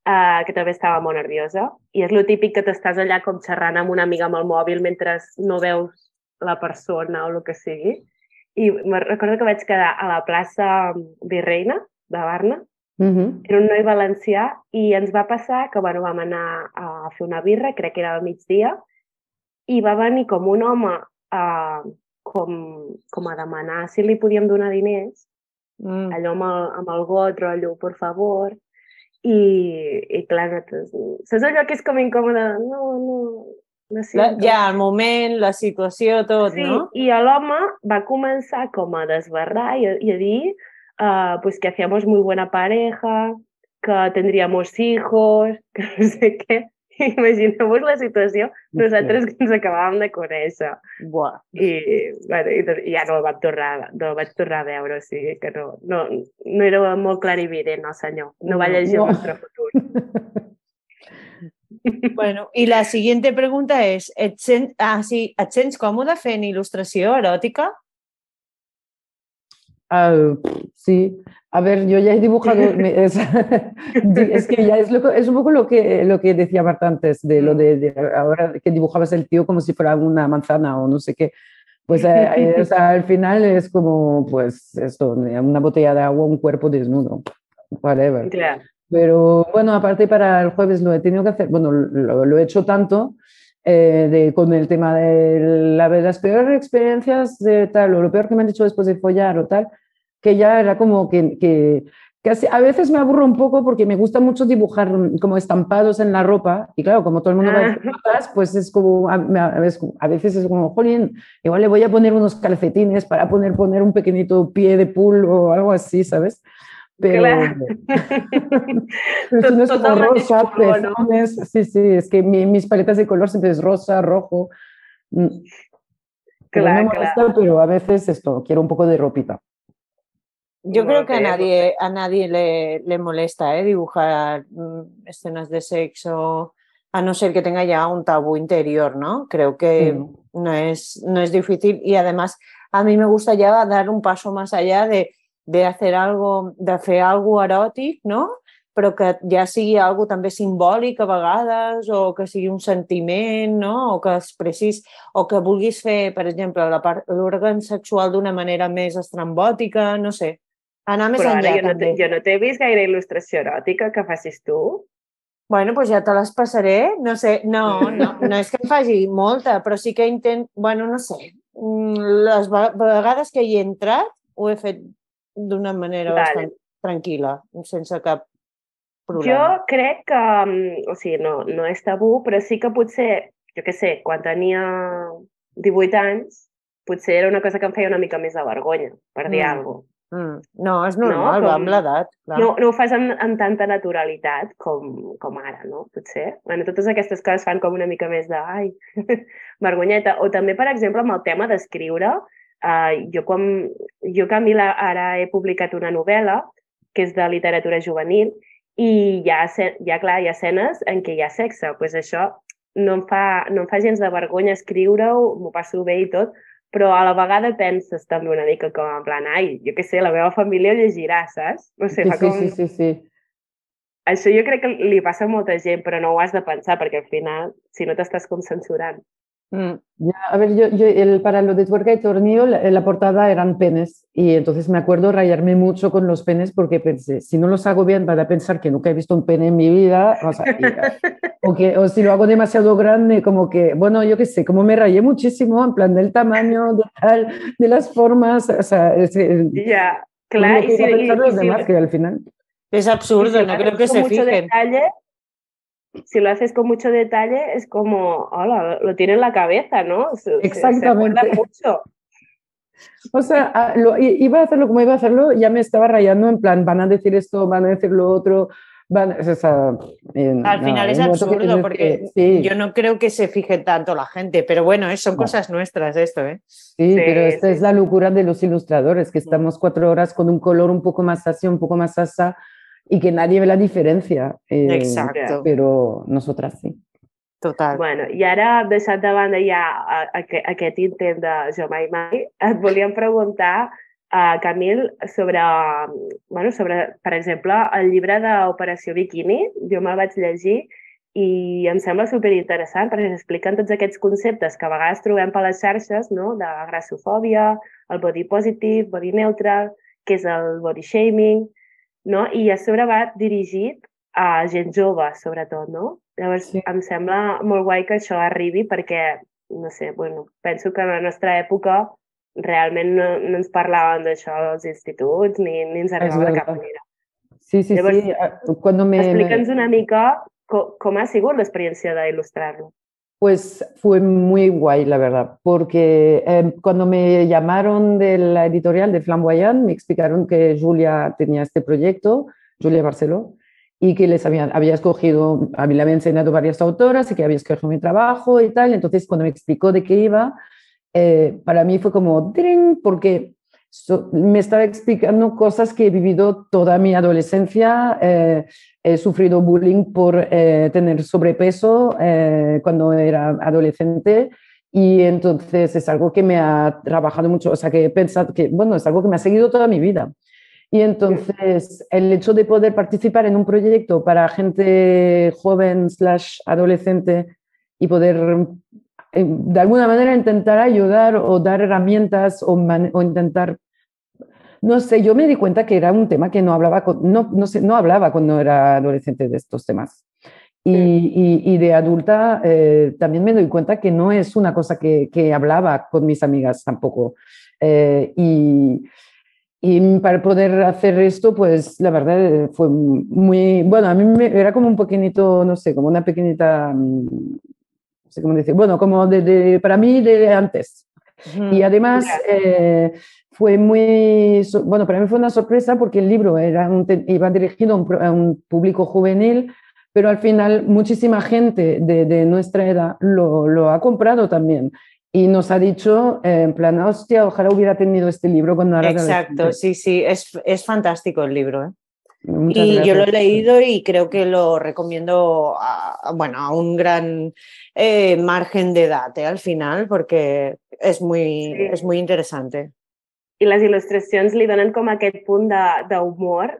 uh, que també estava molt nerviosa, i és lo típic que t'estàs allà com xerrant amb una amiga amb el mòbil mentre no veus la persona o el que sigui. I me recordo que vaig quedar a la plaça Virreina de Barna. Ujú. Era un noi valencià i ens va passar que bueno, vam anar a fer una birra, crec que era al migdia, i va venir com un home uh, com, com a demanar si li podíem donar diners, Mm. allò amb el, amb el got, rotllo, por favor, i, i clar, nosaltres, saps allò que és com incòmode? No, no, no La, siento. ja, el moment, la situació, tot, Sí, no? i l'home va començar com a desbarrar i a, i a dir uh, pues que hacíamos muy buena pareja, que tendríamos hijos, que no sé què. Imagineu-vos la situació, nosaltres que ens acabàvem de conèixer. Buah. I, bueno, i, i ja no el vaig tornar, no el vaig tornar a veure, o sigui que no, no, no era molt clarivident, no senyor. No va No, llegir no. el nostre futur. Bueno, i la siguiente pregunta és, et, sent, ah, sí, et sents còmode fent il·lustració eròtica? Ah, sí, a ver, yo ya he dibujado, me- es, es que ya es, lo, es un poco lo que, lo que decía Marta antes, de lo de, de ahora que dibujabas el tío como si fuera una manzana o no sé qué. Pues eh, eh, o sea, al final es como, pues esto, una botella de agua, un cuerpo desnudo, whatever. Clar. Pero bueno, aparte para el jueves lo he tenido que hacer, bueno, lo, lo he hecho tanto eh, de, con el tema de la, las peores experiencias de tal, o lo peor que me han dicho después de follar o tal, que ya era como que, que, que así, a veces me aburro un poco porque me gusta mucho dibujar como estampados en la ropa y claro, como todo el mundo va a patas, pues es como, a, a veces es como, jolín, igual le voy a poner unos calcetines para poner, poner un pequeñito pie de pool o algo así, ¿sabes? Pero, Clar. pero si no es Tot como del mateix rosa, color, no? pezones, sí, sí, es que mi, mis paletas de color siempre es rosa, rojo. Mm. Pero Clar, no me clar. molesta, pero a veces esto, quiero un poco de ropita. Yo Molt creo que a bé, molt nadie, bé. a nadie le, le molesta ¿eh? dibujar mm, escenas de sexo, a no ser que tenga ya un tabú interior, ¿no? Creo que Sí. no es, no es difícil y además a mí me gusta ya dar un paso más allá de, de hacer algo, de fer algo eròtic, no? Però que ja sigui algo també simbòlic a vegades o que sigui un sentiment, no? O que expressis, o que vulguis fer, per exemple, la part- l'òrgan sexual d'una manera més estrambòtica, no sé. Anar més Però ara enllà, jo no, també. te- jo no t'he vist gaire il·lustració eròtica que facis tu. Bueno, doncs ja te les passaré. No sé, no, no, no és que em faci molta, però sí que intent... Bueno, no sé. Mm, Les ve- vegades que hi he entrat ho he fet d'una manera Vale. bastant tranquil·la, sense cap Jo problema. crec que, mm, o sigui, no, no és tabú, però sí que potser, jo què sé, quan tenia divuit anys, potser era una cosa que em feia una mica més de vergonya, per dir Mm. alguna cosa. Mm. No, és normal, No? va Com- amb l'edat. clar. No, no ho fas amb, amb tanta naturalitat com, com ara, no? Potser. Bueno, totes aquestes coses fan com una mica més de, ai, vergonyeta. O també, per exemple, amb el tema d'escriure, eh, jo, quan, jo Camila, ara he publicat una novel·la que és de literatura juvenil i hi ha, esce- hi ha, clar, hi ha escenes en què hi ha sexe. Doncs pues això no em, fa, no em fa gens de vergonya escriure-ho, m'ho passo bé i tot, però a la vegada penses també una mica com en plan, ai, jo què sé, la meva família ho llegirà, saps? No sé, Sí, fa sí, com... sí, sí, sí. Això jo crec que li passa a molta gent, però no ho has de pensar, perquè al final, si no t'estàs com censurant. Mm. Ya, a ver, yo, yo el, para lo de tuerca y tornillo, la, la portada eran penes y entonces me acuerdo rayarme mucho con los penes porque pensé, si no los hago bien van a pensar que nunca he visto un pene en mi vida, o, sea, y, o, que, o si lo hago demasiado grande, como que, bueno, yo qué sé, como me rayé muchísimo en plan del tamaño, de tal, de las formas, o sea, es, es, Ja, pues clar, lo i que si, iban a i, pensar i los si, demás, que al final... És i absurdo, si no lo creo haces que con se mucho fijen. detalle, si lo haces con mucho detalle, es como, hola, lo tiene en la cabeza, ¿no? Se, Exactamente. Se, se mucho. O sea, lo, iba a hacerlo como iba a hacerlo, ya me estaba rayando en plan, van a decir esto, van a decir lo otro. Van, o sea, eh, Al final no, es absurdo porque sí. Yo no creo que se fije tanto la gente, pero bueno, son no. cosas nuestras esto, ¿eh? Sí, sí pero esta sí. es la locura de los ilustradores, que estamos cuatro horas con un color un poco más así, un poco más asa, y que nadie ve la diferencia. Eh, Exacto. Però nosotras sí. Total. Bueno, i ara, deixant de banda ja aquest intent de Jo mai mai, et volíem preguntar, uh, Camil, sobre, bueno, sobre, per exemple, el llibre d'Operació Bikini. Jo me'l vaig llegir i em sembla superinteressant perquè s'expliquen tots aquests conceptes que a vegades trobem per les xarxes, no? De grassofòbia, el body positive, body neutral, que és el body shaming, no? I a sobre va dirigit a gent jove, sobretot, no? Llavors, sí. Em sembla molt guai que això arribi perquè, no sé, bueno, penso que en la nostra època realment no, no ens parlaven d'això als instituts ni, ni ens arribava de cap manera. Sí, sí, Llavors, sí. Cuando me, explica'ns una mica com, com ha sigut l'experiencia de il·lustrar-lo. Pues fue muy guay, la verdad, porque eh, cuando me llamaron de la editorial de Flamboyant, me explicaron que Julia tenía este proyecto, Julia Barceló, y que les había, había escogido, a mí le había enseñado varias autoras y que había escogido mi trabajo y tal. Entonces, cuando me explicó de qué iba, eh, para mí fue como ¡tring! Porque so, me estaba explicando cosas que he vivido toda mi adolescencia. Eh, he sufrido bullying por eh, tener sobrepeso eh, cuando era adolescente. Y entonces es algo que me ha trabajado mucho, o sea, que he pensado que, bueno, es algo que me ha seguido toda mi vida. Y entonces el hecho de poder participar en un proyecto para gente joven slash adolescente y poder de alguna manera intentar ayudar o dar herramientas o, man, o intentar, no sé, yo me di cuenta que era un tema que no hablaba, con, no, no, sé, no hablaba cuando era adolescente de estos temas. Y, y, y de adulta eh, también me doy cuenta que no es una cosa que, que hablaba con mis amigas tampoco. Eh, y... Y para poder hacer esto, pues la verdad fue muy, bueno, a mí me, era como un pequeñito, no sé, como una pequeñita, no sé cómo decir, bueno, como de, de, para mí de antes. Mm, y además eh, fue muy, bueno, para mí fue una sorpresa porque el libro era un, iba dirigido a un, a un público juvenil, pero al final muchísima gente de, de nuestra edad lo, lo ha comprado también. Y nos ha dicho, eh, en plan, hostia, ojalá hubiera tenido este libro cuando era Exacto, sí, sí, es, es fantástico el libro. ¿eh? Muchas y gracias. Yo lo he leído y creo que lo recomiendo a, bueno, a un gran eh, margen de edad eh, al final, porque és muy, sí. és muy interesante. I les il·lustracions li donen com aquest punt d'humor.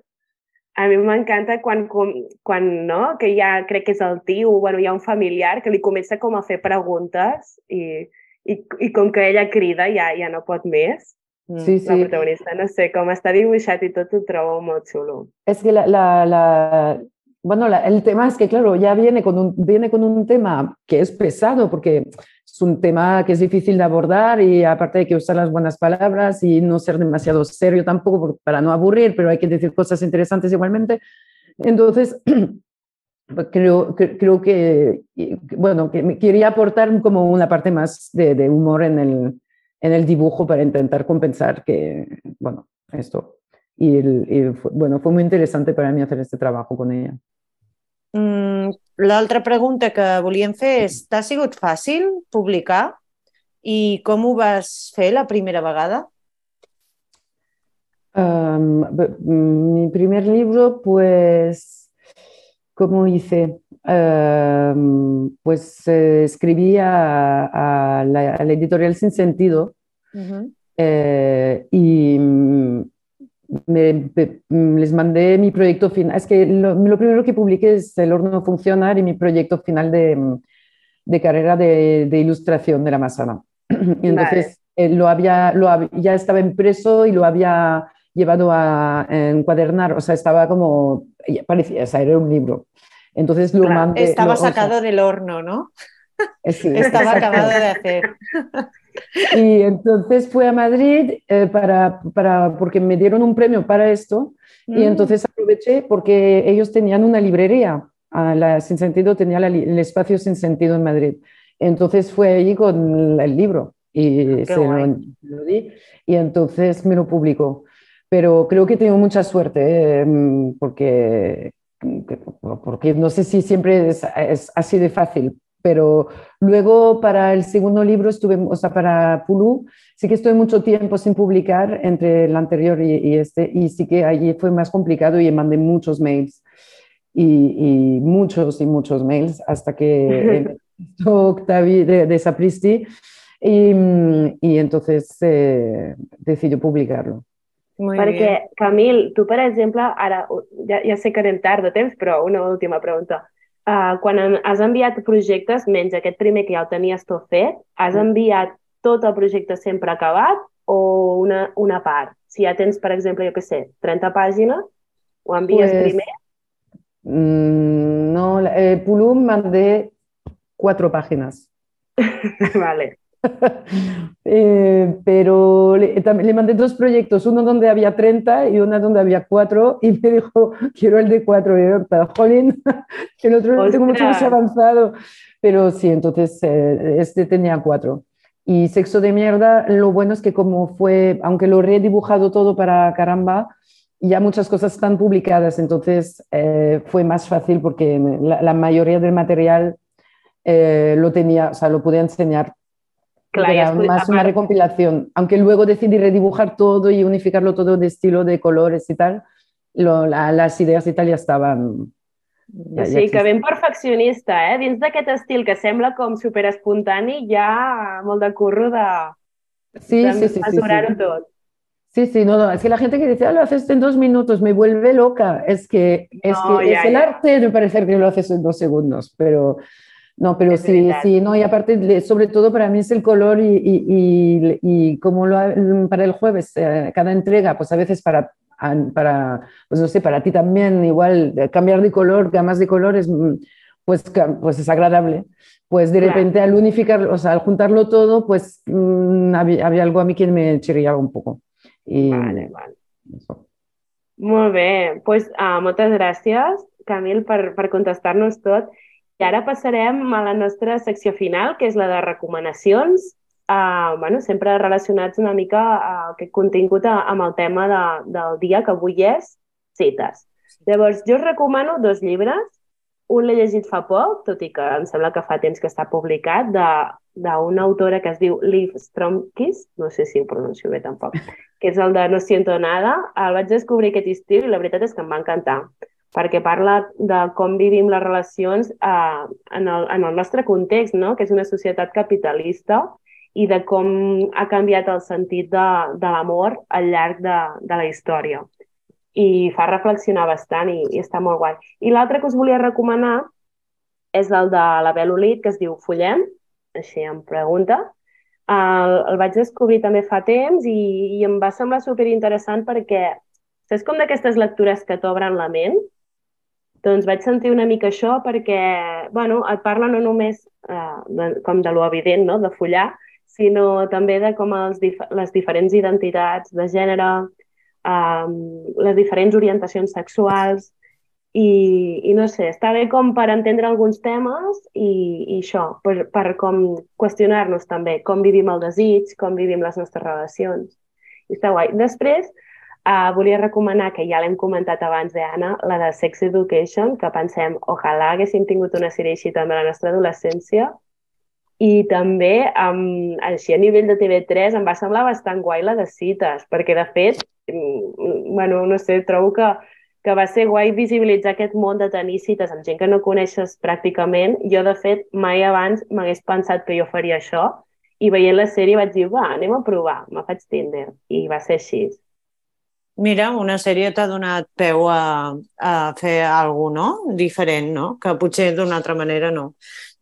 A mi m'encanta quan, quan no? Que ja crec que és el tio, bueno, hi ha un familiar que li comença com a fer preguntes i... I, i com que ella crida ja, ja no pot més, sí, sí. La protagonista, no sé, com està dibuixat i tot ho trobo molt xulo. Es que la, la, la, bueno, la, el tema es que, claro, ya viene con, un, viene con un tema que es pesado porque es un tema que es difícil de abordar y aparte hay que usar las buenas palabras y no ser demasiado serio tampoco para no aburrir, pero hay que decir cosas interesantes igualmente. Entonces... Creo, creo que, bueno, que me quería aportar como una parte más de, de humor en el, en el dibujo para intentar compensar que, bueno, esto. Y, el, y fue, bueno, fue muy interesante para mí hacer este trabajo con ella. Mm, l'altra pregunta que volíem fer és, t'ha sigut fàcil publicar? I com ho vas fer la primera vegada? Um, mi primer libro, pues... ¿Cómo hice? Uh, pues eh, escribí a, a, la, a la editorial Sin Sentido uh-huh. eh, y me, me, les mandé mi proyecto final. Es que lo, lo primero que publiqué es El horno funcionar y mi proyecto final de, de carrera de, de ilustración de la Massana. Y entonces vale. eh, lo había, lo había, ya estaba impreso y lo había llevado a encuadernar, o sea, estaba como, parecía, o sea, era un libro. Entonces lo claro, mandé... Estaba lo, sacado o sea, del horno, ¿no? Sí, estaba acabado de hacer. Y entonces fui a Madrid eh, para, para, porque me dieron un premio para esto mm. y entonces aproveché porque ellos tenían una librería a la Sin Sentido tenía la, el espacio Sin Sentido en Madrid. Entonces fue allí con el libro y Qué se lo, guay. lo di y entonces me lo publicó. Pero creo que tengo mucha suerte, ¿eh? porque, porque no sé si siempre es, es así de fácil, pero luego para el segundo libro estuve, o sea, para Pulú, sí que estuve mucho tiempo sin publicar entre el anterior y, y este, y sí que allí fue más complicado y mandé muchos mails. Y, y muchos y muchos mails hasta que empezó Octavi de, de Sapristi y, y entonces eh, decidió publicarlo. Muy Perquè, bien. Camil, tu, per exemple, ara, ja, ja sé que anem tard de temps, però una última pregunta. Uh, quan en- has enviat projectes, menys aquest primer que ja el tenies tot fet, has enviat tot el projecte sempre acabat o una, una part? Si ja tens, per exemple, jo què sé, trenta pàgines, ho envies Pues primer? mm, no, eh, Pulú mandé cuatro páginas. Vale. Eh, pero le, también le mandé dos proyectos, uno donde había treinta y uno donde había cuatro y me dijo, quiero el de cuatro. Y yo, "Pero, jolín, el otro lo tengo mucho más Ostras! avanzado". Pero sí, entonces eh, este tenía cuatro. Y Sexo de Mierda, lo bueno es que como fue, aunque lo he redibujado todo para Caramba, ya muchas cosas están publicadas, entonces eh, fue más fácil porque la, la mayoría del material eh, lo tenía, o sea, lo pude enseñar. Clar, Porque i era has, más a una part, recompilación, aunque luego decidí redibujar todo y unificarlo todo de estilo, de colores y tal, lo, la, las ideas y tal ya estaban, o ya, ya sigui que existían. ben perfeccionista, eh? Dins d'aquest estil que sembla com super espontani, hi ha molt de curro de, Sí, de sí, sí, sí, sí. mesurar-ho tot. Sí, sí, no, no, es que la gente que dice, ah, lo haces en dos minutos, me vuelve loca. Es que es, No, que es ja, el ja, arte de parecer que lo haces en dos segundos, pero no, pero és sí, veritat. sí, no, y aparte, le- sobre todo para mí es el color y, y, y, y como lo, ha- para el jueves, eh, cada entrega, pues a veces para, an- para, pues no sé, para ti también, igual, eh, cambiar de color, gamas de colores, mm, pues, ca- pues es agradable. Pues de Clar, repente al unificarlo, o sea, al juntarlo todo, pues mm, había, había algo a mí que me chirriaba un poco. Y vale, vale. eso. Molt bé, doncs, uh, moltes gràcies, Camil, per, per contestar-nos tot. I ara passarem a la nostra secció final, que és la de recomanacions, uh, bueno, sempre relacionats una mica a aquest contingut a, amb el tema de, del dia, que avui és cites. Llavors, jo us recomano dos llibres. Un l'he llegit fa poc, tot i que em sembla que fa temps que està publicat, de- d'una autora que es diu Liv Stromkis, no sé si ho pronuncio bé tampoc, que és el de No siento nada. El vaig descobrir aquest estiu i la veritat és que em va encantar, perquè parla de com vivim les relacions eh, en, el, en el nostre context, no? Que és una societat capitalista, i de com ha canviat el sentit de, de l'amor al llarg de, de la història. I fa reflexionar bastant i, i està molt guai. I l'altre que us volia recomanar és el de la Bel Olid, que es diu Follem, així em pregunta. El, el vaig descobrir també fa temps i, i em va semblar superinteressant perquè saps com d'aquestes lectures que t'obren la ment? Doncs vaig sentir una mica això perquè, bueno, et parla no només eh, de, com de lo evident, no?, de follar, sinó també de com els dif les diferents identitats de gènere, eh, les diferents orientacions sexuals, i, i no sé, està bé com per entendre alguns temes i, i això, per, per com qüestionar-nos també com vivim el desig, com vivim les nostres relacions. I està guai. Després, uh, volia recomanar, que ja l'hem comentat abans, eh, Anna, la de Sex Education, que pensem, ojalà haguéssim tingut una sèrie així també a la nostra adolescència. I també, um, així a nivell de T V tres, em va semblar bastant guai la de cites, perquè de fet, mm, bueno, no sé, trobo que, que va ser guai visibilitzar aquest món de tenir cites amb gent que no coneixes pràcticament. Jo, de fet, mai abans m'hagués pensat que jo faria això, i veient la sèrie vaig dir, va, anem a provar, me faig Tinder, i va ser així. Mira, una sèrie t'ha donat peu a, a fer alguna cosa, no? Diferent, no? Que potser d'una altra manera no.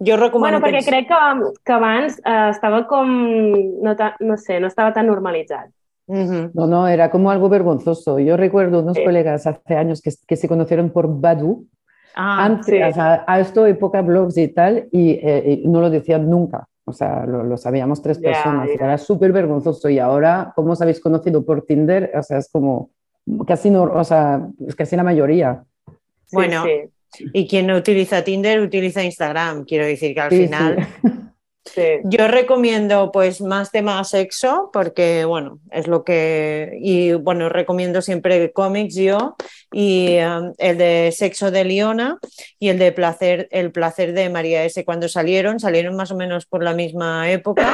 Jo recomano... Bueno, perquè aquests... crec que, que abans eh, estava com, no, ta, no sé, no estava tan normalitzat. Uh-huh. No, no, era como algo vergonzoso. Yo recuerdo unos Sí. colegas hace años que, que se conocieron por Badoo, Ah, antes, sí. o sea, a esto época blogs y tal, y, eh, y no lo decían nunca. O sea, lo, lo sabíamos tres Ya, personas. ya. Era súper vergonzoso. Y ahora, ¿cómo os habéis conocido por Tinder? O sea, es como casi, no, o sea, es casi la mayoría. Sí, bueno, sí. Y quien no utiliza Tinder, utiliza Instagram. Quiero decir que al Sí, final... sí. Sí. Yo recomiendo pues más tema sexo porque, bueno, es lo que... Y, bueno, recomiendo siempre cómics yo y um, el de Sexo de Liona y el de placer, El placer de María S. Cuando salieron, salieron más o menos por la misma época.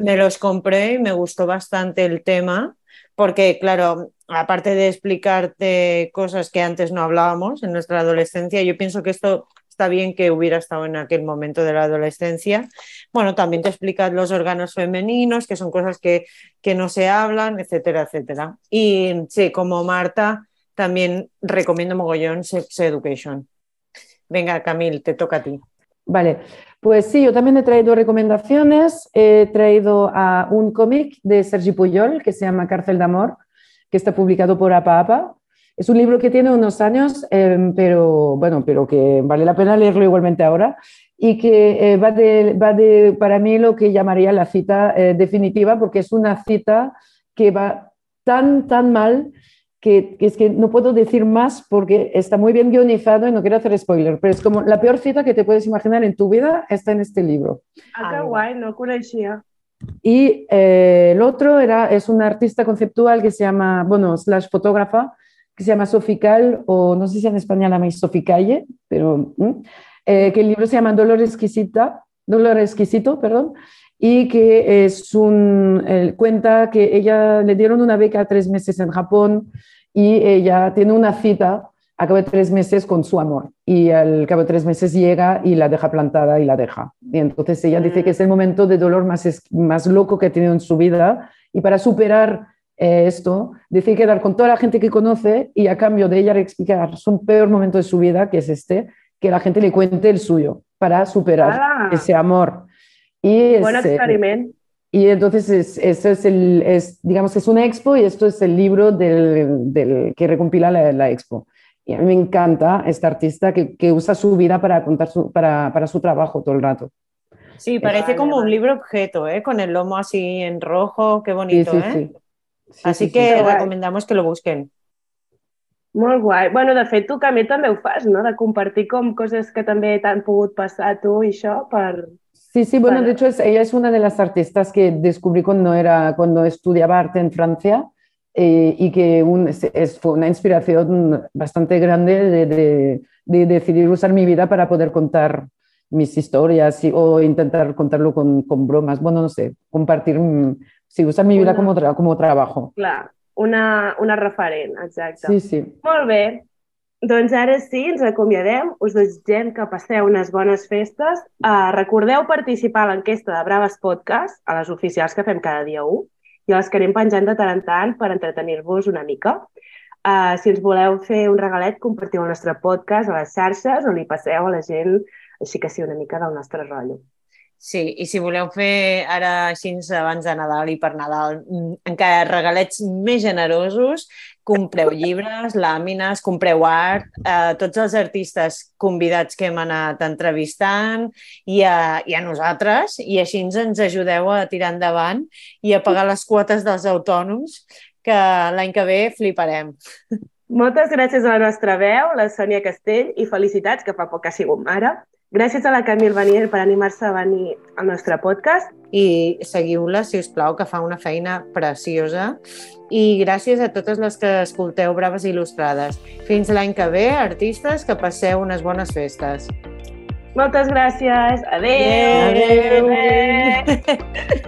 Me los compré y me gustó bastante el tema porque, claro, aparte de explicarte cosas que antes no hablábamos en nuestra adolescencia, yo pienso que esto está bien que hubiera estado en aquel momento de la adolescencia. Bueno, también te explicas los órganos femeninos, que son cosas que, que no se hablan, etcétera, etcétera. Y sí, como Marta, también recomiendo mogollón Sex Education. Venga, Camil, te toca a ti. Vale, pues sí, yo también he traído recomendaciones. He traído a un cómic de Sergi Puyol que se llama Cárcel de Amor, que está publicado por Apa Apa. Es un libro que tiene unos años, eh, pero bueno, pero que vale la pena leerlo igualmente ahora y que eh, va, de, va de, para mí, lo que llamaría la cita eh, definitiva, porque es una cita que va tan, tan mal que, que es que no puedo decir más porque está muy bien guionizado y no quiero hacer spoiler, pero es como la peor cita que te puedes imaginar en tu vida está en este libro. Ah, que guai, no el coneixia. Y eh, el otro era, es una artista conceptual que se llama, bueno, slash fotógrafa, que se llama Sofical, o no sé si en español la llamáis Soficalle, pero eh, que el libro se llama Dolor Exquisita, Dolor Exquisito, perdón, y que es un, eh, cuenta que ella le dieron una beca tres meses en Japón y ella tiene una cita a cabo de tres meses con su amor y al cabo de tres meses llega y la deja plantada y la deja. Y entonces ella dice que es el momento de dolor más, más loco que ha tenido en su vida y para superar Eh, esto, decide quedar con toda la gente que conoce y a cambio de ella explicar su peor momento de su vida, que es este, que la gente le cuente el suyo para superar Ah. ese amor. Y Buen es, experiment. Y entonces es, eso es el, es, digamos, es una expo y esto es el libro del, del que recompila la, la expo. Y a mí me encanta esta artista que, que usa su vida para contar su, para, para su trabajo todo el rato. Sí, parece Vale, como vale. un libro objeto, ¿eh? Con el lomo así en rojo, qué bonito, Sí, sí, ¿eh? sí. Sí, Así sí, que sí. recomendamos que lo busquen. Molt guai. Bueno, de fet, tu, Camil, també ho fas, no? De compartir com coses que també t'han pogut passar a tu i això per... Sí, sí, bueno, Vale. de hecho es, ella es una de las artistas que descubrí cuando, era, cuando estudiaba arte en Francia eh, y que un, es, es- fue una inspiración bastante grande de, de- de decidir usar mi vida para poder contar mis historias y- o intentar contarlo con, con bromas. Bueno, no sé, compartir, mm, sí, usar mi vida Una- como, tra- como trabajo. Clar, una, una referent, exacte. Sí, sí. Molt bé. Doncs ara sí, ens acomiadem. Us desitgem que passeu unes bones festes. Uh, recordeu participar a l'enquesta de Braves Podcast, a les oficials que fem cada dia u, i a les que anem penjant de tant en tant per entretenir-vos una mica. Uh, si ens voleu fer un regalet, compartiu el nostre podcast a les xarxes o li passeu a la gent així que sí una mica del nostre rotllo. Sí, i si voleu fer ara així abans de Nadal i per Nadal mm, encara regalets més generosos, compreu llibres, làmines, compreu art, a tots els artistes convidats que hem anat entrevistant i a, i a nosaltres, i així ens ajudeu a tirar endavant i a pagar les quotes dels autònoms, que l'any que ve fliparem. Moltes gràcies a la nostra veu, la Sònia Castell, i felicitats, que fa poc que ha sigut mare. Gràcies a la Camil Vanier per animar-se a venir al nostre podcast. I seguiu-la, si us plau, que fa una feina preciosa. I gràcies a totes les que escolteu Braves Il·lustrades. Fins l'any que ve, artistes, que passeu unes bones festes. Moltes gràcies. Adéu. Adéu. Adéu.